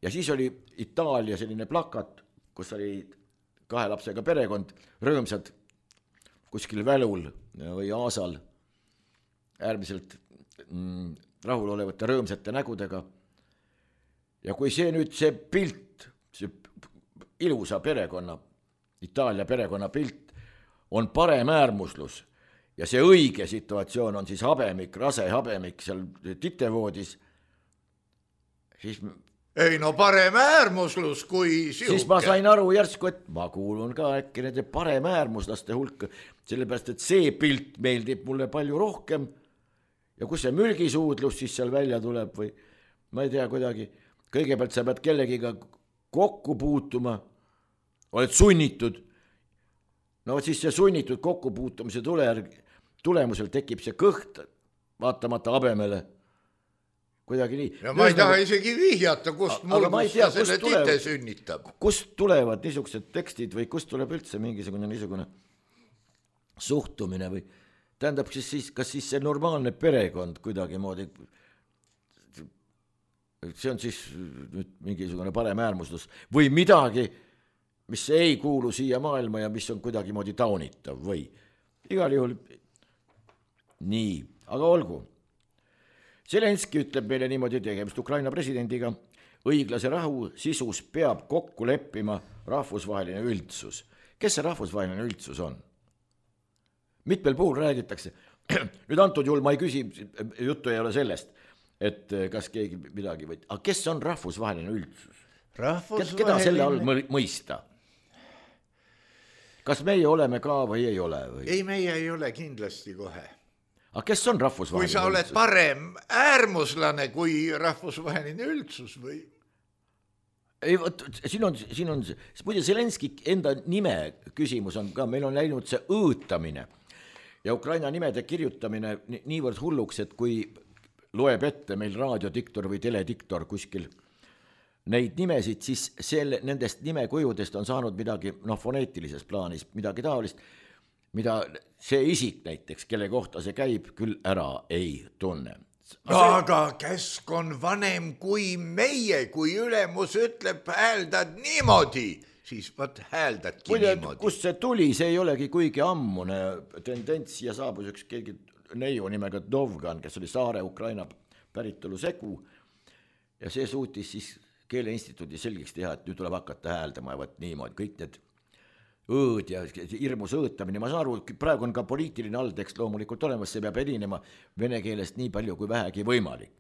Ja siis oli Itaalia selline plakat, kus oli kahe lapsega perekond, rõõmsad kuskil välul või aasal, äärmiselt mm, rahulolevate rõõmsate nägudega. Ja kui see nüüd see pilt, see ilusa perekonna, Itaalia perekonna pilt, on parem äärmuslus ja see õige situatsioon on siis habemik, rase habemik seal titevoodis, siis ei no parem äärmuslus kui siuke. Siis ma sain aru järsku, et ma kuulun ka äkki nende parem äärmuslaste hulka, sellepärast, et see pilt meeldib mulle palju rohkem ja kus see mürgisuudlus siis seal välja tuleb või ma ei tea kuidagi, kõigepealt sa pead kellegiga kokku puutuma, oled sunnitud, no siis see sunnitud kokkupuutumise tule, tulemusel tekib see kõht vaatamata habemele. Kuidagi nii. Ja ma ei taha isegi vihjata, kust mul tea, selle kust tite sünnitab. Kust tulevad niisugused tekstid või kust tuleb üldse mingisugune niisugune suhtumine või tähendab, siis, siis, kas siis see normaalne perekond kuidagi moodi, see on siis nüüd mingisugune parem äärmuslus või midagi, mis ei kuulu siia maailma ja mis on kuidagi moodi taunitav või igal juhul nii, aga olgu. Zelenski ütleb meile niimoodi tegemist Ukraina presidendiga, õiglase rahu sisus peab kokku leppima rahvusvaheline üldsus. Kes see rahvusvaheline üldsus on? Mitmel puhul räägitakse, nüüd antud juhul ma ei küsi, juttu ei ole sellest, et kas keegi midagi või, aga kes on rahvusvaheline üldsus? Rahvusvaheline... Keda selle all mõista? Kas meie oleme ka või ei ole? Või? Ei, meie ei ole kindlasti kohe. Aga kes on rahvusvaheline üldsus? Kui sa oled üldsus? Parem äärmuslane kui rahvusvaheline üldsus või? Ei, võt, siin on, siin on, muide Zelenski enda nime küsimus on ka, meil on läinud see õõtamine ja Ukraina nimede kirjutamine niivõrd hulluks, et kui loeb ette meil raadiodiktor või telediktor kuskil neid nimesid, siis selle, nendest nimekujudest on saanud midagi, noh, foneetilises plaanis, midagi taolist, mida see isik näiteks, kelle kohta see käib, küll ära ei tunne. Aga kesk on vanem kui meie, kui ülemus ütleb, hääldad niimoodi, siis võt hääldadki Kuide, niimoodi. Kust see tuli, see ei olegi kuigi ammune tendents ja saabus üks keegi neiu nimega Dovgan, kes oli Saare Ukraina päritolu segu ja see suutis siis Keeleinstituudi selgeks teha, et nüüd tuleb hakata hääldama ja võt niimoodi, kõik need õõd ja hirmus õõtamine, ma saan aru, praegu on ka poliitiline alltekst loomulikult olemas, see peab erinema vene keelest nii palju kui vähegi võimalik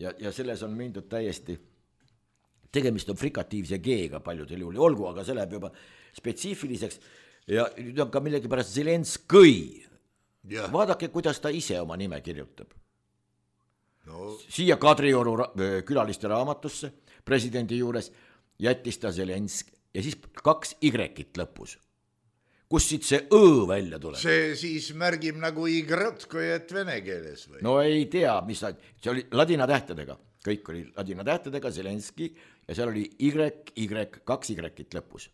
ja, ja selles on mindud täiesti, tegemist on frikatiivse G-ga paljudel juhul, olgu, aga see läheb juba spetsiifiliseks ja nüüd on ka millegipärast Zelenskõi, vaadake, kuidas ta ise oma nime kirjutab no. Siia Kadrioru külaliste raamatusse presidendi juures jättis ta Zelensk ja siis kaks Y-it lõpus. Kus siit see Õ välja tuleb? See siis märgib nagu Y-t, kui et vene keeles või? No ei tea, mis ta, see oli ladina tähtedega, kõik oli ladina tähtedega, Zelenski ja seal oli Y, Y, kaks Y-it lõpus.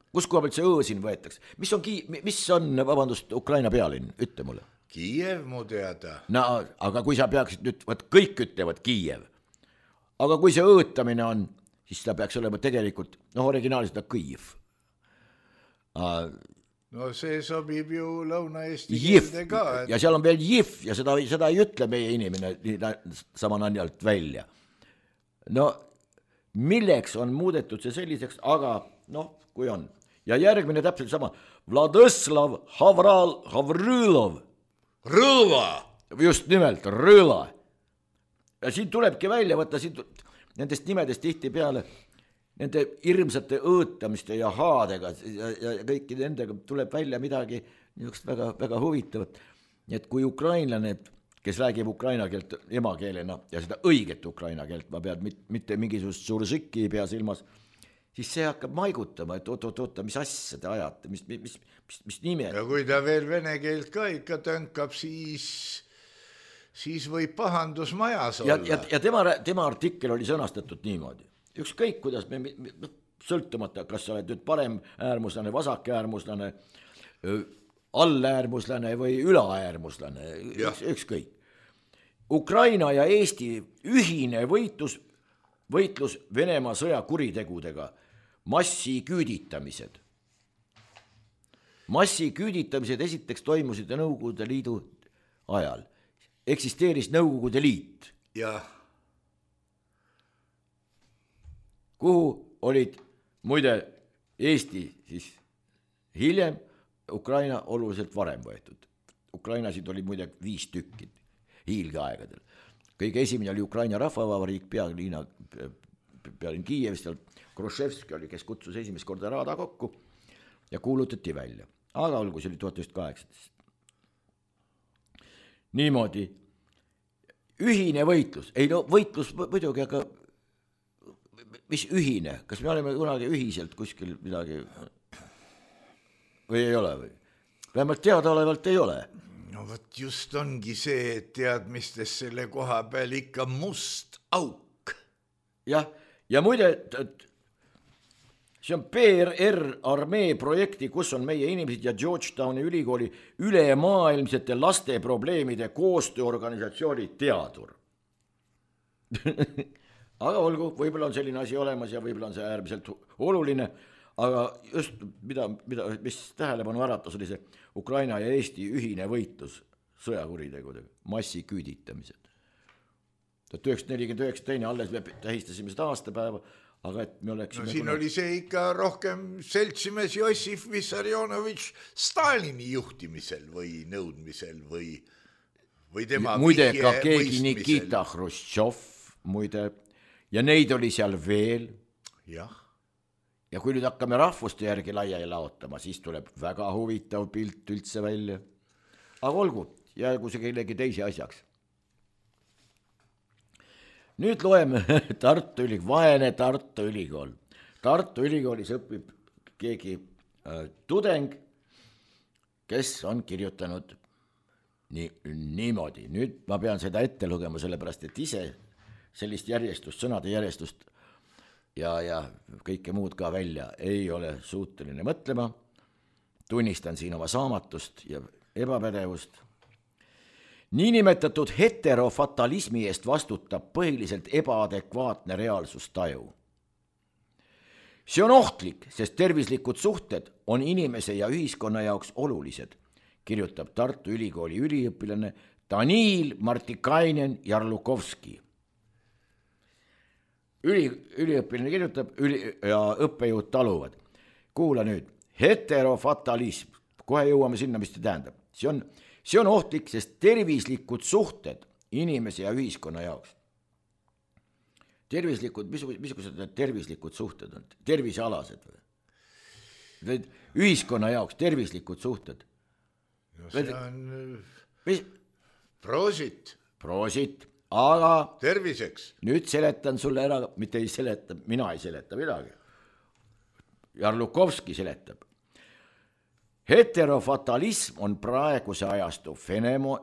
Kus koha pealt see Õ siin võetakse? Mis on, mis on, vabandust, Ukraina pealinn, ütle mulle. Kiiev mu teada. No, aga kui sa peaksid nüüd, võt kõik ütlevad Kiiev, aga kui see õõtamine on, siis ta peaks olema tegelikult, noh, originaalis ta Kõiv. No see sobib ju Lõuna-Eesti keelde ka. Et... Ja seal on veel Jif ja seda, seda ei ütle meie inimene samananjalt välja. No milleks on muudetud see selliseks, aga noh, kui on. Ja järgmine täpselt sama. Vladislav Havral Havrõlov. Rõla! Just nimelt, Rõla. Ja siin tulebki välja võtta siin nendest nimedest tihti peale, nende hirmsate õõtamiste ja haadega ja, ja kõiki nendega tuleb välja midagi niisugust väga, väga huvitavat. Nii et kui ukrainlane, kes räägib ukraina keelt emakeelena ja seda õiget ukraina keelt, ma pean mitte mingisugust sursõkki ei pea silmas, siis see hakkab maigutama, et oot-oot-oot, mis asja te ajate, mis, mis, mis, mis nime. Ja kui ta veel vene keelt ka ikka tõnkab, siis... siis võib pahandus majas olla. Ja, ja, ja tema, tema artikkel oli sõnastatud niimoodi. Ükskõik, kuidas me, sõltumata, kas sa oled nüüd parem äärmuslane, vasak äärmuslane, alläärmuslane või ülaäärmuslane, üks, ükskõik. Ukraina ja Eesti ühine võitlus, võitlus Venemaa sõjakuritegudega, massiküüditamised. Massiküüditamised esiteks toimusid Nõukogude Liidu ajal. Eksisteeris Nõukogude Liit. Ja. Kuhu olid muide Eesti siis hiljem Ukraina oluliselt varem võetud. Ukrainasid oli muide viis tükki hiilgeaegadel. Kõige esimene oli Ukraina rahvavabariik pealiina, pealinn Kiievist, Khrushchevski oli, kes kutsus esimest korda raada kokku ja kuulutati välja. Aga olgu, see oli tuhat üheksasada kaheksateist. Niimoodi, ühine võitlus, ei no võitlus muidugi, aga mis ühine, kas me oleme kunagi ühiselt kuskil midagi või ei ole või? Vähemalt teadaolevalt ei ole. No võt just ongi see, et teadmistes selle koha peal ikka must auk. Jah, ja muide, see on P R R armee projekti, kus on meie inimesed ja Georgetowni ülikooli ülemaailmsete laste probleemide koostööorganisatsiooni teadur. Aga olgu, võib-olla on selline asi olemas ja võib-olla on see äärmiselt oluline, aga just mida, mida, mis tähelepanu äratas, oli see Ukraina ja Eesti ühine võitlus sõjakuritegudega, massiküüditamised. tuhat üheksasada nelikümmend üheksa teine alles me tähistasime seda aastapäeva, aga et me oleksime... No siin kuna... oli see ikka rohkem seltsimees Jossif Vissarionovitš Stalini juhtimisel või nõudmisel või, või tema muide ka keegi Nikita Khrushchev, muide, ja neid oli seal veel. Jah. Ja kui nüüd hakkame rahvuste järgi laia laotama, siis tuleb väga huvitav pilt üldse välja. Aga olgu, jäägu see kellegi teisi asjaks. Nüüd loeme Tartu Ülikool, vaene Tartu Ülikool. Tartu Ülikoolis õpib keegi äh, tudeng, kes on kirjutanud nii, niimoodi. Nüüd ma pean seda ette lugema, sellepärast et ise sellist järjestust, sõnade järjestust ja, ja kõike muud ka välja ei ole suuteline mõtlema. Tunnistan siin oma saamatust ja ebapädevust. Niinimetatud heterofatalismi eest vastutab põhiliselt ebaadekvaatne reaalsustaju. See on ohtlik, sest tervislikud suhted on inimese ja ühiskonna jaoks olulised, kirjutab Tartu Ülikooli üliõpilane Daniil Martikainen Jarlukovski. Üli, üliõpilane kirjutab üli, ja õppejõud taluvad. Kuula nüüd, heterofatalism, kohe jõuame sinna, mis see tähendab. See on, see on ohtlik, sest tervislikud suhted inimese ja ühiskonna jaoks. Tervislikud, mis, missugused need tervislikud suhted on? Tervisealased või? Ühiskonna jaoks tervislikud suhted. No see on mis? Proosit. Proosit. Aga terviseks. Nüüd seletan sulle ära, mitte ei seleta, mina ei seleta midagi. Jarlukovski seletab. Heterofatalism on praeguse ajastu fenemo...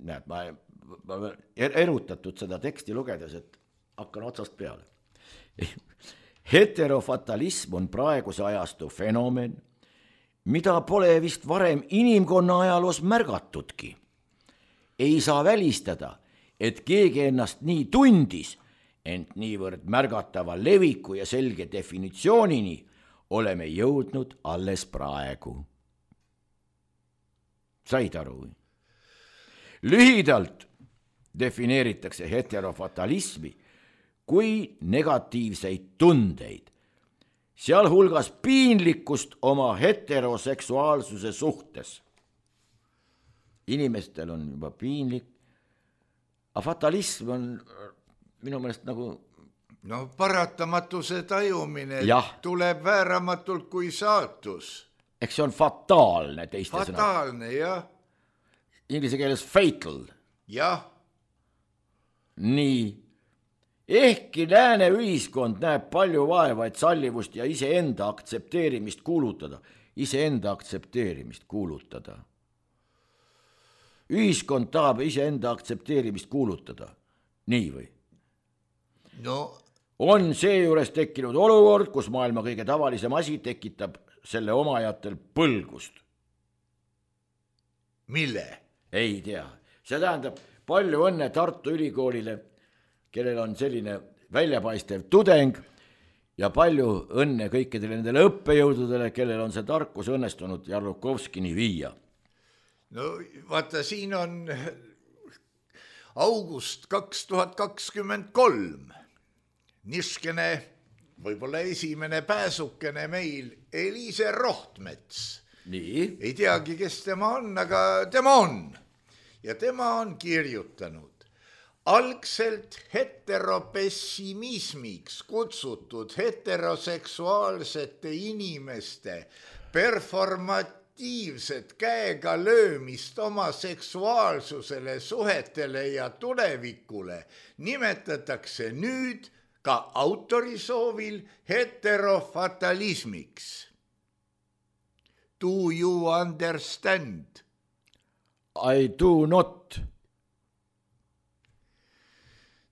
Näed, ma, ma erutatud seda teksti lugedes, et hakkan otsast peale. Heterofatalism on praeguse ajastu fenomen, mida pole vist varem inimkonna ajaloos märgatudki. Ei saa välistada, et keegi ennast nii tundis, ent niivõrd märgatava leviku ja selge definitsioonini oleme jõudnud alles praegu. Said aru? Lühidalt defineeritakse heterofatalismi kui negatiivseid tundeid, sealhulgas piinlikkust oma heteroseksuaalsuse suhtes. Inimestel on juba piinlik, aga fatalism on minu meelest nagu... No paratamatuse tajumine jah. Tuleb vääramatult kui saatus. Eks see on fataalne teiste fataalne, sõnad. Fataalne, jah. Inglise keeles fatal. Jah. Nii. Ehkki lääne ühiskond näeb palju vaeva, et sallivust ja iseenda aktsepteerimist kuulutada. Iseenda aktsepteerimist kuulutada. Ühiskond tahab iseenda aktsepteerimist kuulutada. Nii või? No. On seejuures tekkinud olukord, kus maailma kõige tavalisem asi tekitab selle omajatel põlgust. Mille? Ei tea. See tähendab palju õnne Tartu Ülikoolile, kellel on selline väljapaistev tudeng ja palju õnne kõikidele nendele õppejõududele, kellel on see tarkus õnnestunud Jarlukovskini viia. No vaata, siin on august kaks tuhat kakskümmend kolm. Niskene, võib-olla esimene pääsukene meil, Eliise Rohtmets, nii. ei teagi, kes tema on, aga tema on. Ja tema on kirjutanud. Algselt heteropessimismiks kutsutud heteroseksuaalsete inimeste performatiivset käega löömist oma seksuaalsusele, suhetele ja tulevikule nimetatakse nüüd ka autori soovil heterofatalismiks. Do you understand? I do not.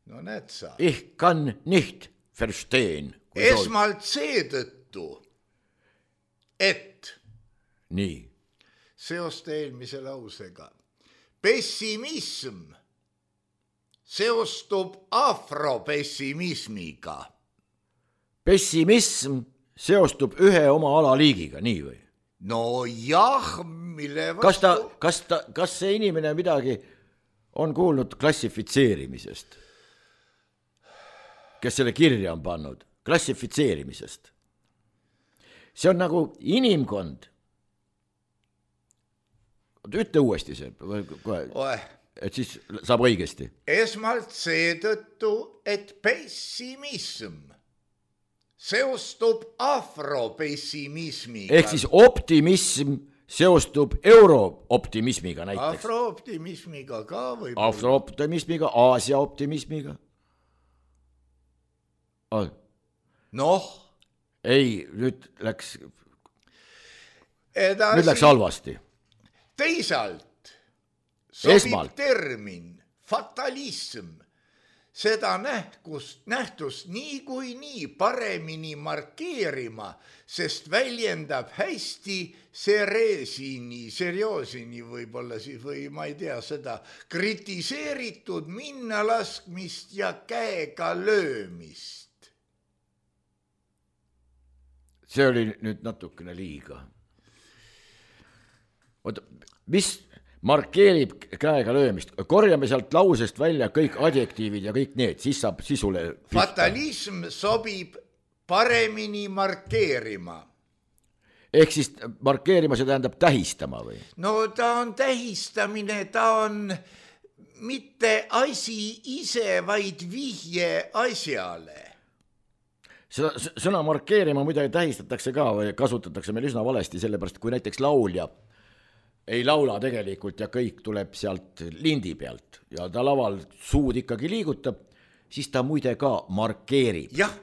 No näed sa. Ich kann nicht verstehen. Esmalt seetõttu, et nii. Seosta eelmise lausega. Pessimism seostub afropessimismiga. Pessimism seostub ühe oma alaliigiga, nii või? No jah, mille vastu... Kas, ta, kas, ta, kas see inimene midagi on kuulnud klassifitseerimisest? Kes selle kirja on pannud? Klassifitseerimisest. See on nagu inimkond. Ütle uuesti see. Oe. Et siis saab õigesti. Esmalt seetõttu, et pessimism seostub afropessimismiga. Ehk siis optimism seostub eurooptimismiga näiteks. Afrooptimismiga ka või? Afrooptimismiga, Aasia optimismiga. Noh. Ei, nüüd läks, Edasi, nüüd läks halvasti. Teisalt sobib Esmalt. termin fatalism seda nähtust, nähtust nii kui nii paremini markeerima, sest väljendab hästi sereesini, serioosini võib-olla siis või ma ei tea seda, kritiseeritud minnalaskmist ja käega löömist. See oli nüüd natukene liiga. Oota, mis markeerib käega löömist? Korjame sealt lausest välja kõik adjektiivid ja kõik need, siis saab sisule pihta. Fatalism sobib paremini markeerima. Ehk siis markeerima see tähendab tähistama või? No ta on tähistamine, ta on mitte asi ise, vaid vihje asjale. Seda sõna markeerima muidugi tähistatakse ka või kasutatakse meil üsna valesti, sellepärast kui näiteks laulja ei laula tegelikult ja kõik tuleb sealt lindi pealt ja ta laval suud ikkagi liigutab, siis ta muide ka markeerib. Jah.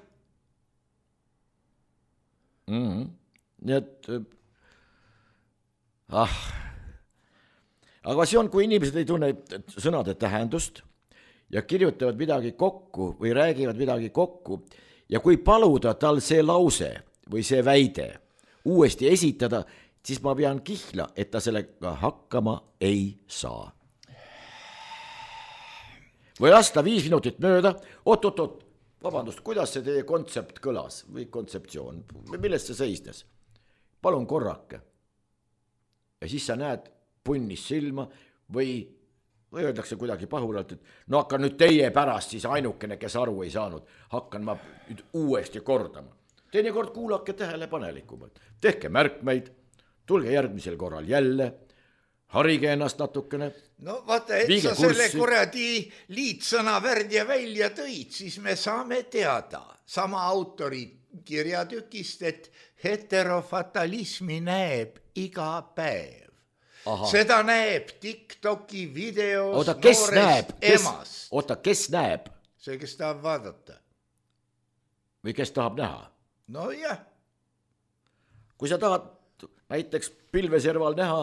Mm-hmm. Nii et ah. Aga see on, kui inimesed ei tunne sõnade tähendust ja kirjutavad midagi kokku või räägivad midagi kokku ja kui paluda tal see lause või see väide uuesti esitada, siis ma pean kihla, et ta sellega hakkama ei saa. Või lasta viis minutit mööda, oot, oot, oot, vabandust, kuidas see teie kontsept kõlas või kontseptsioon, millest see seisnes? Palun korrake. Ja siis sa näed punnis silma või, või öeldakse kuidagi pahuralt, et no hakkan nüüd teie pärast siis ainukene, kes aru ei saanud, hakkan ma nüüd uuesti kordama. Teinekord kuulake tähelepanelikumalt, tehke märkmeid, tulge järgmisel korral jälle, harige ennast natukene. No vaata, et sa selle kuradi liitsõna värdja välja tõid, siis me saame teada sama autori kirjatükist, et heterofatalismi näeb iga päev. Aha. Seda näeb TikToki videos oota, kes noorest näeb? Kes, emast. Oota, kes näeb? See, kes tahab vaadata. Või kes tahab näha? No jah. Kui sa tahad näiteks pilveserval näha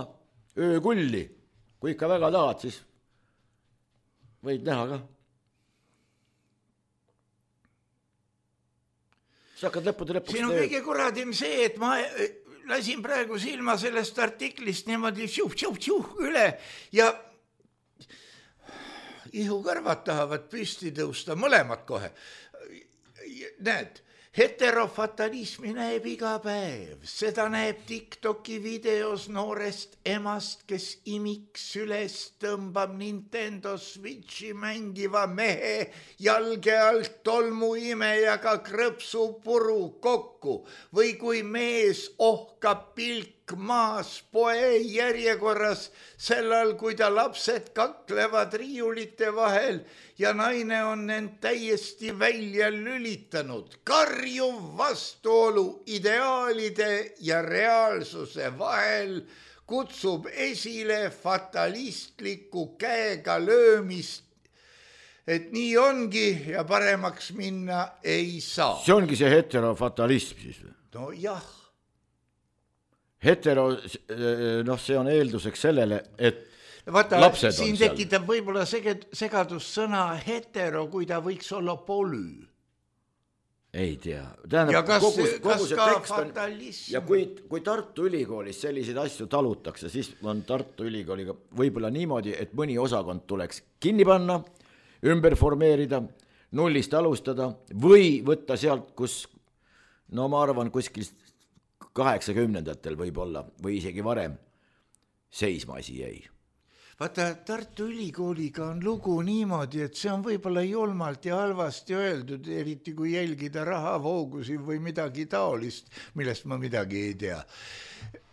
öökulli, kui ikka väga tahad, siis võid näha ka. Sa hakkad lõppude lõpuks... Siin on kõige kuradim see, et ma lasin praegu silma sellest artiklist niimoodi tšuh, tšuh, tšuh üle ja ihukõrvad tahavad püsti tõusta, mõlemad kohe. Näed, heterofatalismi näeb iga päev, seda näeb TikToki videos noorest emast, kes imiks üles tõmbab Nintendo Switchi mängiva mehe jalge alt tolmu imejaga krõpsu puru kokku või kui mees ohkab pilk maas poe järjekorras, sellal, kui ta lapsed kaklevad riiulite vahel ja naine on end täiesti välja lülitanud. Karjuv vastuolu ideaalide ja reaalsuse vahel kutsub esile fatalistliku käega löömist, et nii ongi ja paremaks minna ei saa. See ongi see heterofatalism siis või? No jah. Hetero, noh, see on eelduseks sellele, et Vaata, lapsed on siin seal. tekitab võib-olla segadus sõna hetero, kui ta võiks olla polü. Ei tea. Tähendab, ja kas, kogu, kogu kas see ka tekst on, fatalism? ja kui, kui Tartu Ülikoolis selliseid asju talutakse, siis on Tartu Ülikooliga võib-olla niimoodi, et mõni osakond tuleks kinni panna, ümber formeerida, nullist alustada või võtta sealt, kus, no ma arvan, kuskil kaheksakümnendatel võib-olla või isegi varem seisma asi jäi. Vaata, Tartu Ülikooliga on lugu niimoodi, et see on võib-olla julmalt ja halvasti öeldud, eriti kui jälgida rahavoogusi või midagi taolist, millest ma midagi ei tea.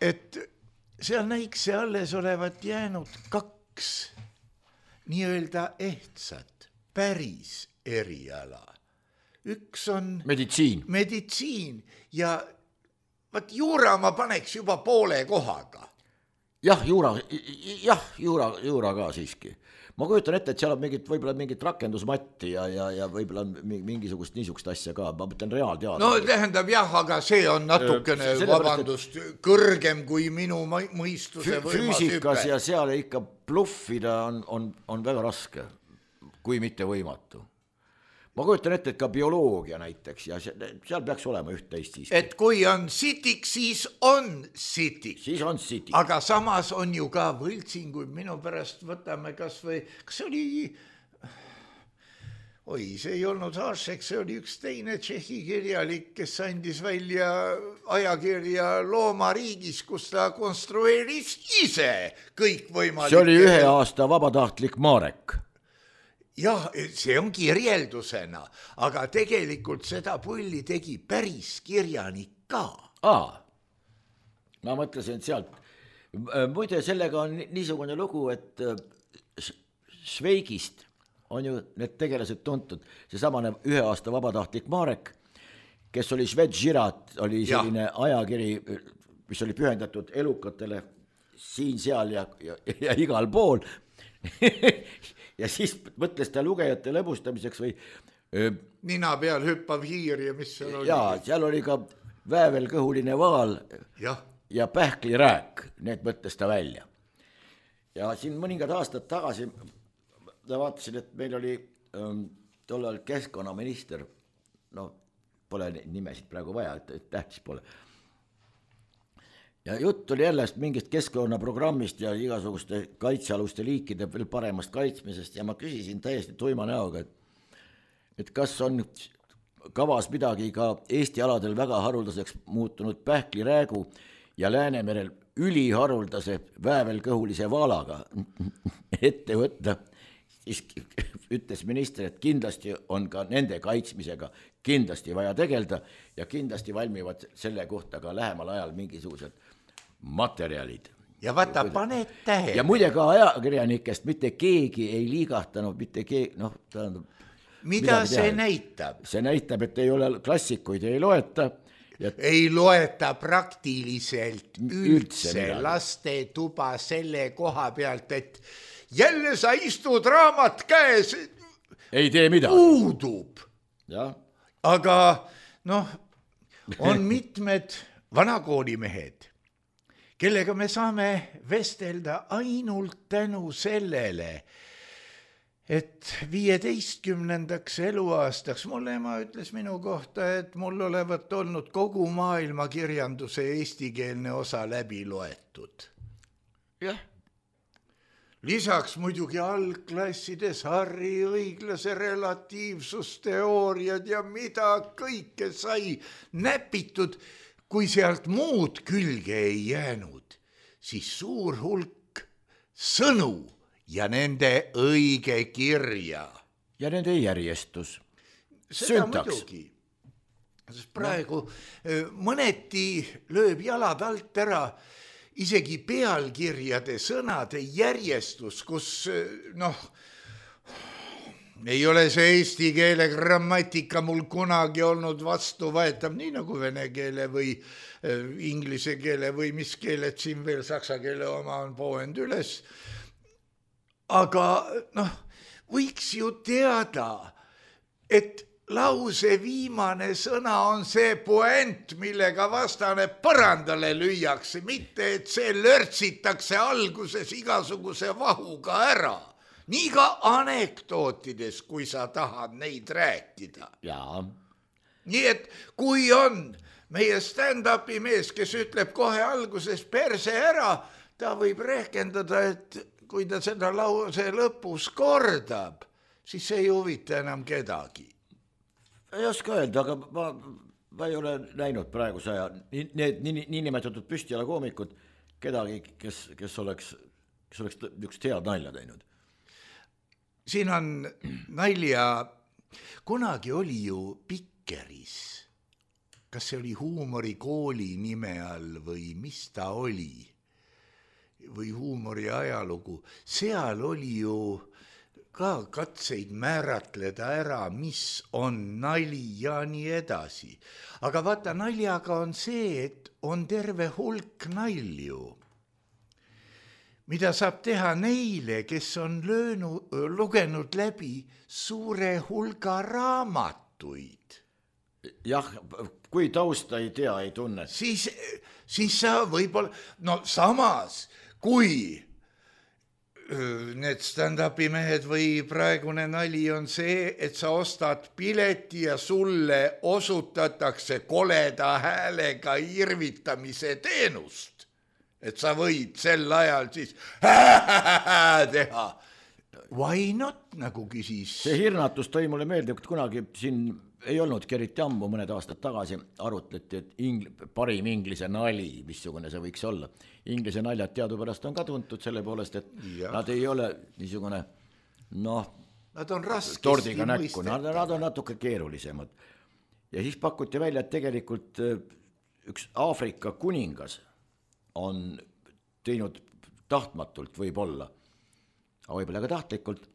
Et seal näikse alles olevat jäänud kaks nii-öelda ehtsat, päris eriala. Üks on meditsiin, meditsiin ja vaat juura ma paneks juba poole kohaga. Jah, juura, jah, juura, juura ka siiski. Ma kujutan ette, et seal on mingit, võib-olla mingit rakendusmatti ja, ja, ja võib-olla mingisugust niisugust asja ka. Ma mõtlen reaalteadus. No tähendab jah, aga see on natukene, öö, vabandust, et kõrgem kui minu mõistuse võimas füüsikas hüpe. Ja seal ikka bluffida on, on, on väga raske, kui mitte võimatu. Ma kujutan ette, et ka bioloogia näiteks ja seal peaks olema üht teist siiski. Et kui on sitik, siis on sitik. Siis on sitik. Aga samas on ju ka võltsinguid, minu pärast võtame kas või, kas see oli, oi, see ei olnud Hašek, see oli üks teine tšehhi kirjalik, kes andis välja ajakirja Loomariigis, kus ta konstrueeris ise kõik võimalik. See oli ühe aasta vabatahtlik Marek. Jah, see on kirjeldusena, aga tegelikult seda pulli tegi päris kirjanik ka. Aa, ma mõtlesin sealt. Muide, sellega on niisugune lugu, et Šveigist on ju need tegelased tuntud. See samane ühe aasta vabatahtlik Marek, kes oli Švedžirat, oli selline ja. ajakiri, mis oli pühendatud elukatele siin, seal ja, ja, ja igal pool. Ja siis mõtles ta lugejate lõbustamiseks või öö, nina peal hüppav hiir ja mis seal oli. Jaa, seal oli ka väävelkõhuline vaal ja, ja pähklirääk, need mõtles ta välja. Ja siin mõningad aastad tagasi ma vaatasin, et meil oli ähm, tollal keskkonnaminister, no pole nimesid praegu vaja, et tähtis pole. Ja jutt oli jälle mingist keskkonnaprogrammist ja igasuguste kaitsealuste liikide veel paremast kaitsmisest ja ma küsisin täiesti tuima näoga, et, et kas on kavas midagi ka Eesti aladel väga haruldaseks muutunud pähkliräägu ja Läänemerel üliharuldase väävelkõhulise vaalaga ette võtta. Siis ütles minister, et kindlasti on ka nende kaitsmisega kindlasti vaja tegelda ja kindlasti valmivad selle kohta ka lähemal ajal mingisugused materjalid. Ja vaata, paned tähe. Ja muide ka ajakirjanikest mitte keegi ei liigahtanud, mitte keegi, noh, tähendab. Mida see teha? Näitab? See näitab, et ei ole klassikuid, ei loeta. Ja ei loeta praktiliselt üldse, üldse laste tuba selle koha pealt, et jälle sa istud raamat käes. Ei tee midagi. Puudub. Ja. Aga noh, on mitmed vanakoolimehed, kellega me saame vestelda ainult tänu sellele, et viieteistkümnendaks eluaastaks mulle ema ütles minu kohta, et mul olevat olnud kogu maailma kirjanduse eestikeelne osa läbi loetud. Jah. Lisaks muidugi algklassides Harri õiglase relatiivsusteooriad ja mida kõike sai näpitud, kui sealt muud külge ei jäänud, siis suur hulk sõnu ja nende õige kirja. Ja nende järjestus. Seda muidugi. sest praegu no. mõneti lööb jalad alt ära isegi pealkirjade sõnade järjestus, kus noh, ei ole see eesti keele grammatika mul kunagi olnud vastuvõetav, nii nagu vene keele või inglise keele või mis keeled siin veel, saksa keele oma on pooend üles. Aga noh, võiks ju teada, et lause viimane sõna on see puent, millega vastane põrandale lüüakse, mitte et see lörtsitakse alguses igasuguse vahuga ära. Nii ka anekdootides, kui sa tahad neid rääkida. Jaa. Nii et kui on meie stand-upi mees, kes ütleb kohe alguses perse ära, ta võib rehkendada, et kui ta seda lause lõpus kordab, siis see ei huvita enam kedagi. Ei oska öelda, aga ma, ma ei ole näinud praeguse aja need nii, nii nimetatud püstjala koomikud kedagi, kes, kes oleks, kes oleks niisugust head nalja teinud. Siin on nalja, kunagi oli ju Pikkeris, kas see oli huumorikooli nime all või mis ta oli, või huumori ajalugu, seal oli ju ka katseid määratleda ära, mis on nali ja nii edasi. Aga vaata, naljaga on see, et on terve hulk nalju, mida saab teha neile, kes on löönu, lugenud läbi suure hulga raamatuid. Jah, kui tausta ei tea, ei tunne. Siis, siis sa võib-olla, no samas, kui need stand-upi mehed või praegune nali on see, et sa ostad pileti ja sulle osutatakse koleda häälega irvitamise teenust. Et sa võid sel ajal siis teha. Why not, nagu küsis. See hirnatus tõi mulle meelde, et kunagi siin ei olnud eriti ammu, mõned aastad tagasi arutleti, et ingl- parim inglise nali, missugune see võiks olla. Inglise naljad teadupärast on ka tuntud selle poolest, et ja. Nad ei ole niisugune, noh, nad on raskesti tordiga näkku, nad, nad on natuke keerulisemad. Ja siis pakuti välja, et tegelikult üks Aafrika kuningas on teinud tahtmatult võib-olla, aga võib-olla ka tahtlikult,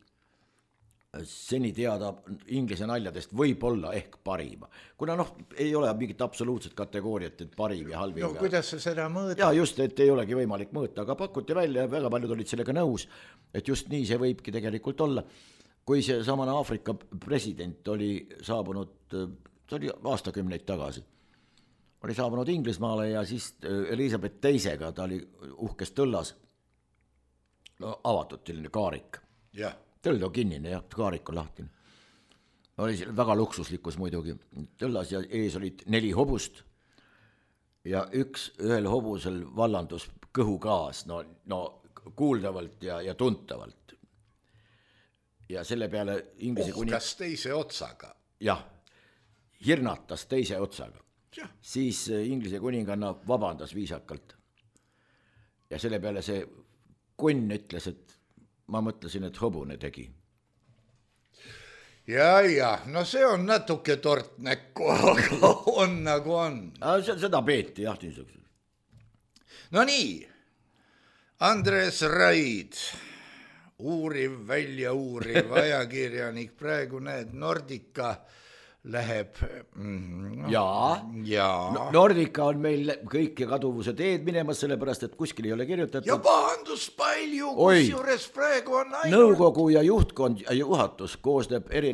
seni teada inglise naljadest võib-olla ehk parima. Kuna noh, ei ole mingit absoluutset kategooriat, et parim ja halvim. No kuidas sa seda mõõda? Ja just, et ei olegi võimalik mõõta, aga pakuti välja ja väga paljud olid sellega nõus, et just nii see võibki tegelikult olla. Kui see samane Aafrika president oli saabunud, see oli aastakümneid tagasi, oli saabunud Inglismaale ja siis Elizabeth teisega, ta oli uhkes tõllas, no, avatud selline kaarik. Jah. Tõld on kinnine ja kaarik on lahtine. Oli väga luksuslikkus muidugi. Tõllas ja ees olid neli hobust ja üks ühel hobusel vallandus kõhugaas, no, no kuuldavalt ja, ja tuntavalt. Ja selle peale inglise kuning... Uhkas teise otsaga. Jah, hirnatas teise otsaga. Ja. Siis inglise kuninganna vabandas viisakalt. Ja selle peale see kunn ütles, et ma mõtlesin, et hobune tegi. Ja, ja, no see on natuke tort näkku, aga on nagu on. Seda peeti, jah, niisugused. No nii, Andres Raid, uuriv, välja uuriv ajakirjanik, praegu näed, Nordica läheb... Mm, jaa, jaa. Nordica on meil kõik kaduvuse teed minemas, sellepärast, et kuskil ei ole kirjutatud. Ja pahandus palju, kus juures praegu on ainult... Nõukogu ja juhtkond ja juhatus koosneb eri,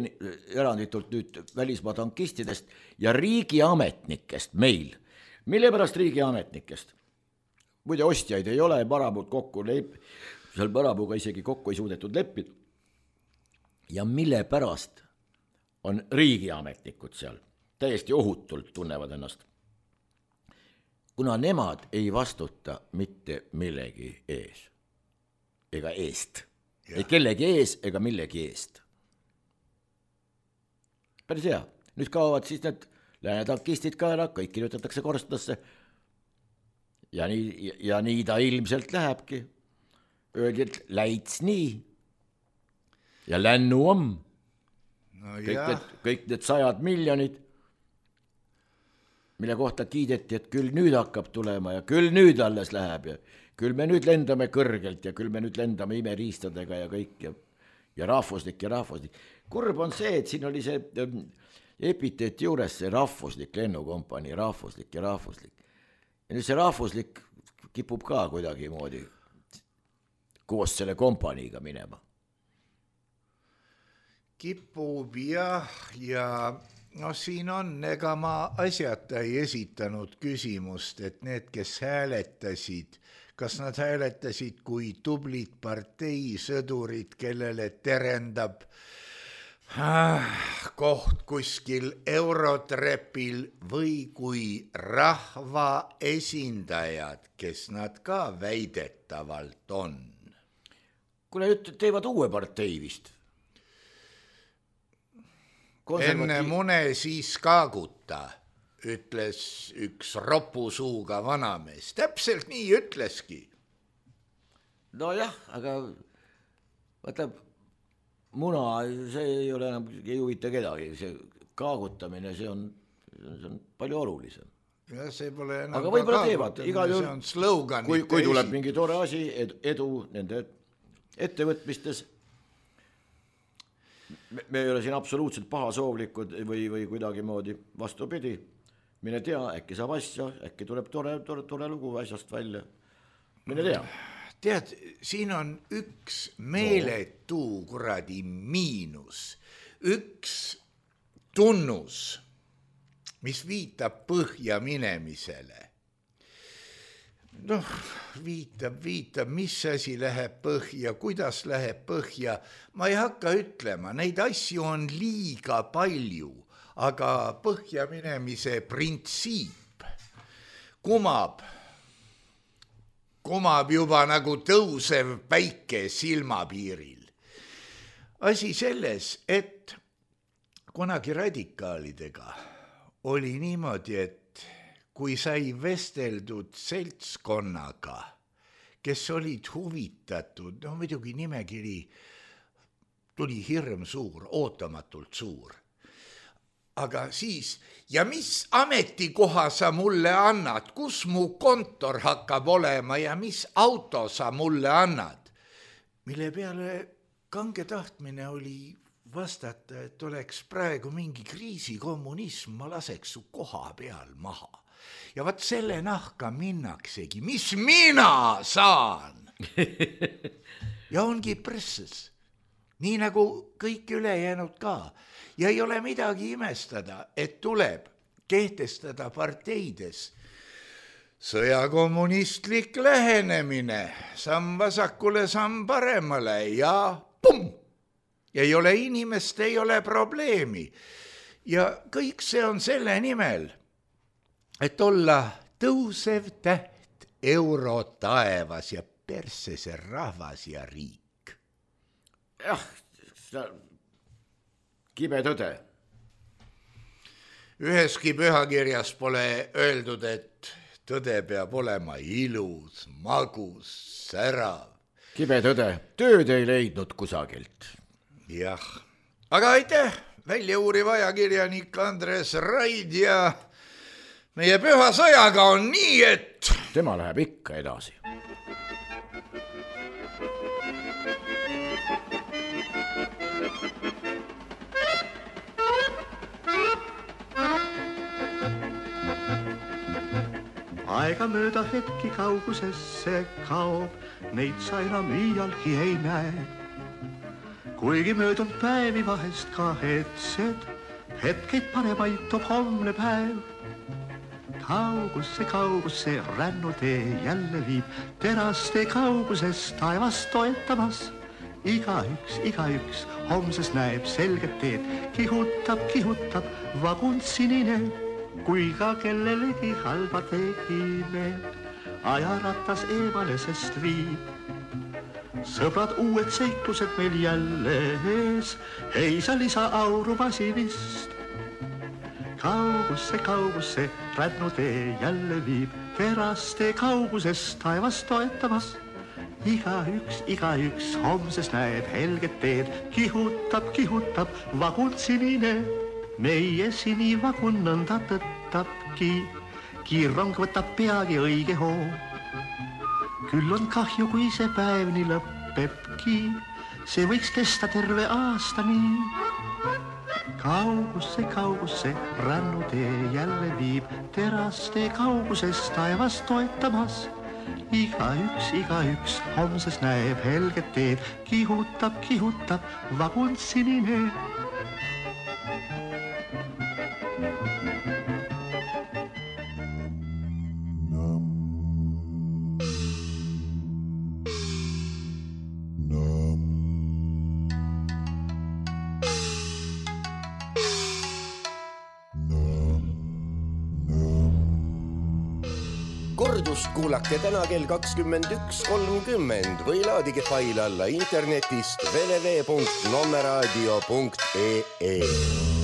eranditult nüüd välismaa tankistidest ja riigiametnikest meil. Mille pärast riigiametnikest? Muide, ostjaid ei ole, Marabuud kokku leip, seal Marabuuga isegi kokku ei suudetud leppida. Ja mille pärast on riigiametnikud seal, täiesti ohutult tunnevad ennast. Kuna nemad ei vastuta mitte millegi ees, ega eest, ja. Ei kellegi ees ega millegi eest. Päris hea, nüüd kaovad siis need läänetankistid ka ära, kõik kirjutatakse korstasse ja nii, ja nii ta ilmselt lähebki. Öeldi, et läits nii ja lännu on. No kõik, need, kõik need sajad miljonid mille kohta kiideti, et küll nüüd hakkab tulema ja küll nüüd alles läheb ja küll me nüüd lendame kõrgelt ja küll me nüüd lendame imeriistadega ja kõik ja, ja rahvuslik ja rahvuslik. Kurb on see, et siin oli see epiteet juures, see rahvuslik lennukompanii, rahvuslik ja rahvuslik. Ja nüüd see rahvuslik kipub ka kuidagi moodi koos selle kompaniiga minema. Kipub jah, ja no siin on, ega ma asjata ei esitanud küsimust, et need, kes hääletasid, kas nad hääletasid kui tublid parteisõdurid, kellele terendab ah, koht kuskil Eurotrepil või kui rahva esindajad, kes nad ka väidetavalt on. Kuule, nüüd teevad uue partei vist. Enne mune siis kaaguta, ütles üks ropusuuga vanamees. Täpselt nii ütleski. No jah, aga vaata, muna, see ei ole enam, ei huvita kedagi. See kaagutamine, see on, see on palju olulisem. Ja see pole enam aga võib-olla teevad. Igal see on slogan. Kui, kui tuleb mingi tore asi, edu nende ettevõtmistes, Me, me ei ole siin absoluutselt pahasoovlikud või, või kuidagi moodi vastupidi. Mine tea, äkki saab asja, äkki tuleb tore, tore, tore lugu asjast välja. Mine tea. Tead, siin on üks meeletu kuradi miinus. Üks tunnus, mis viitab põhja minemisele. Noh, viitab, viitab, mis asi läheb põhja, kuidas läheb põhja. Ma ei hakka ütlema, neid asju on liiga palju, aga põhja minemise printsiip kumab, kumab juba nagu tõusev päike silmapiiril. Asi selles, et kunagi radikaalidega oli niimoodi, et kui sai vesteldud seltskonnaga, kes olid huvitatud, no muidugi nimekiri tuli hirm suur, ootamatult suur. Aga siis, ja mis ametikoha sa mulle annad, kus mu kontor hakkab olema ja mis auto sa mulle annad? Mille peale kange tahtmine oli vastata, et oleks praegu mingi kriisikommunism, ma laseks su koha peal maha. Ja vaat selle nahka minnaksegi, mis mina saan. Ja ongi presses, nii nagu kõik ülejäänud ka. Ja ei ole midagi imestada, et tuleb kehtestada parteides sõjakommunistlik lähenemine, samm vasakule, samm paremale ja pum! Ei ole inimest, ei ole probleemi. Ja kõik see on selle nimel, et olla tõusev täht euro taevas ja persese rahvas ja riik. Jah, seda kibe tõde. Üheski pühakirjas pole öeldud, et tõde peab olema ilus, magus, särav. Kibe tõde, tööd ei leidnud kusagilt. Jah, aga aitäh, välja uuriv ajakirjanik Andres Raid ja meie püha sõjaga on nii, et tema läheb ikka edasi. Aega mööda hetki kaugusesse kaob, neid sa enam iialgi ei näe. Kuigi möödunud päevi vahest kahetsed, hetkeid paremaid toob homne päev. Kaugusse, kaugusse rännutee jälle viib, teraste kauguses taevast toetamas. Igaüks, igaüks homses näeb selget teed, kihutab, kihutab vagun sinine, kui ka kellelegi halba tegime, ajaratas eemale sest viib. Sõbrad, uued seiklused meil jälle ees, ei sa lisa auru masinist. Kaugusse, kaugusse rännutee jälle viib, teraste kauguses taevast toetamas. Igaüks, igaüks homses näeb helget teed, kihutab, kihutab vagun sinine, meie sinivagun nõnda tõttabki, kiirrong võtab peagi õige hoo. Küll on kahju, kui see päev nii lõppebki, see võiks kesta terve aasta nii. Kaugusse, kaugusse rännutee jälle viib, teraste kauguses taevas toetamas. Igaüks, igaüks homses näeb helget teed, kihutab, kihutab vagun sinine. Kordust kuulake täna kell kakskümmend üks kolmkümmend või laadige fail alla internetist w w w punkt nommeraadio punkt e e.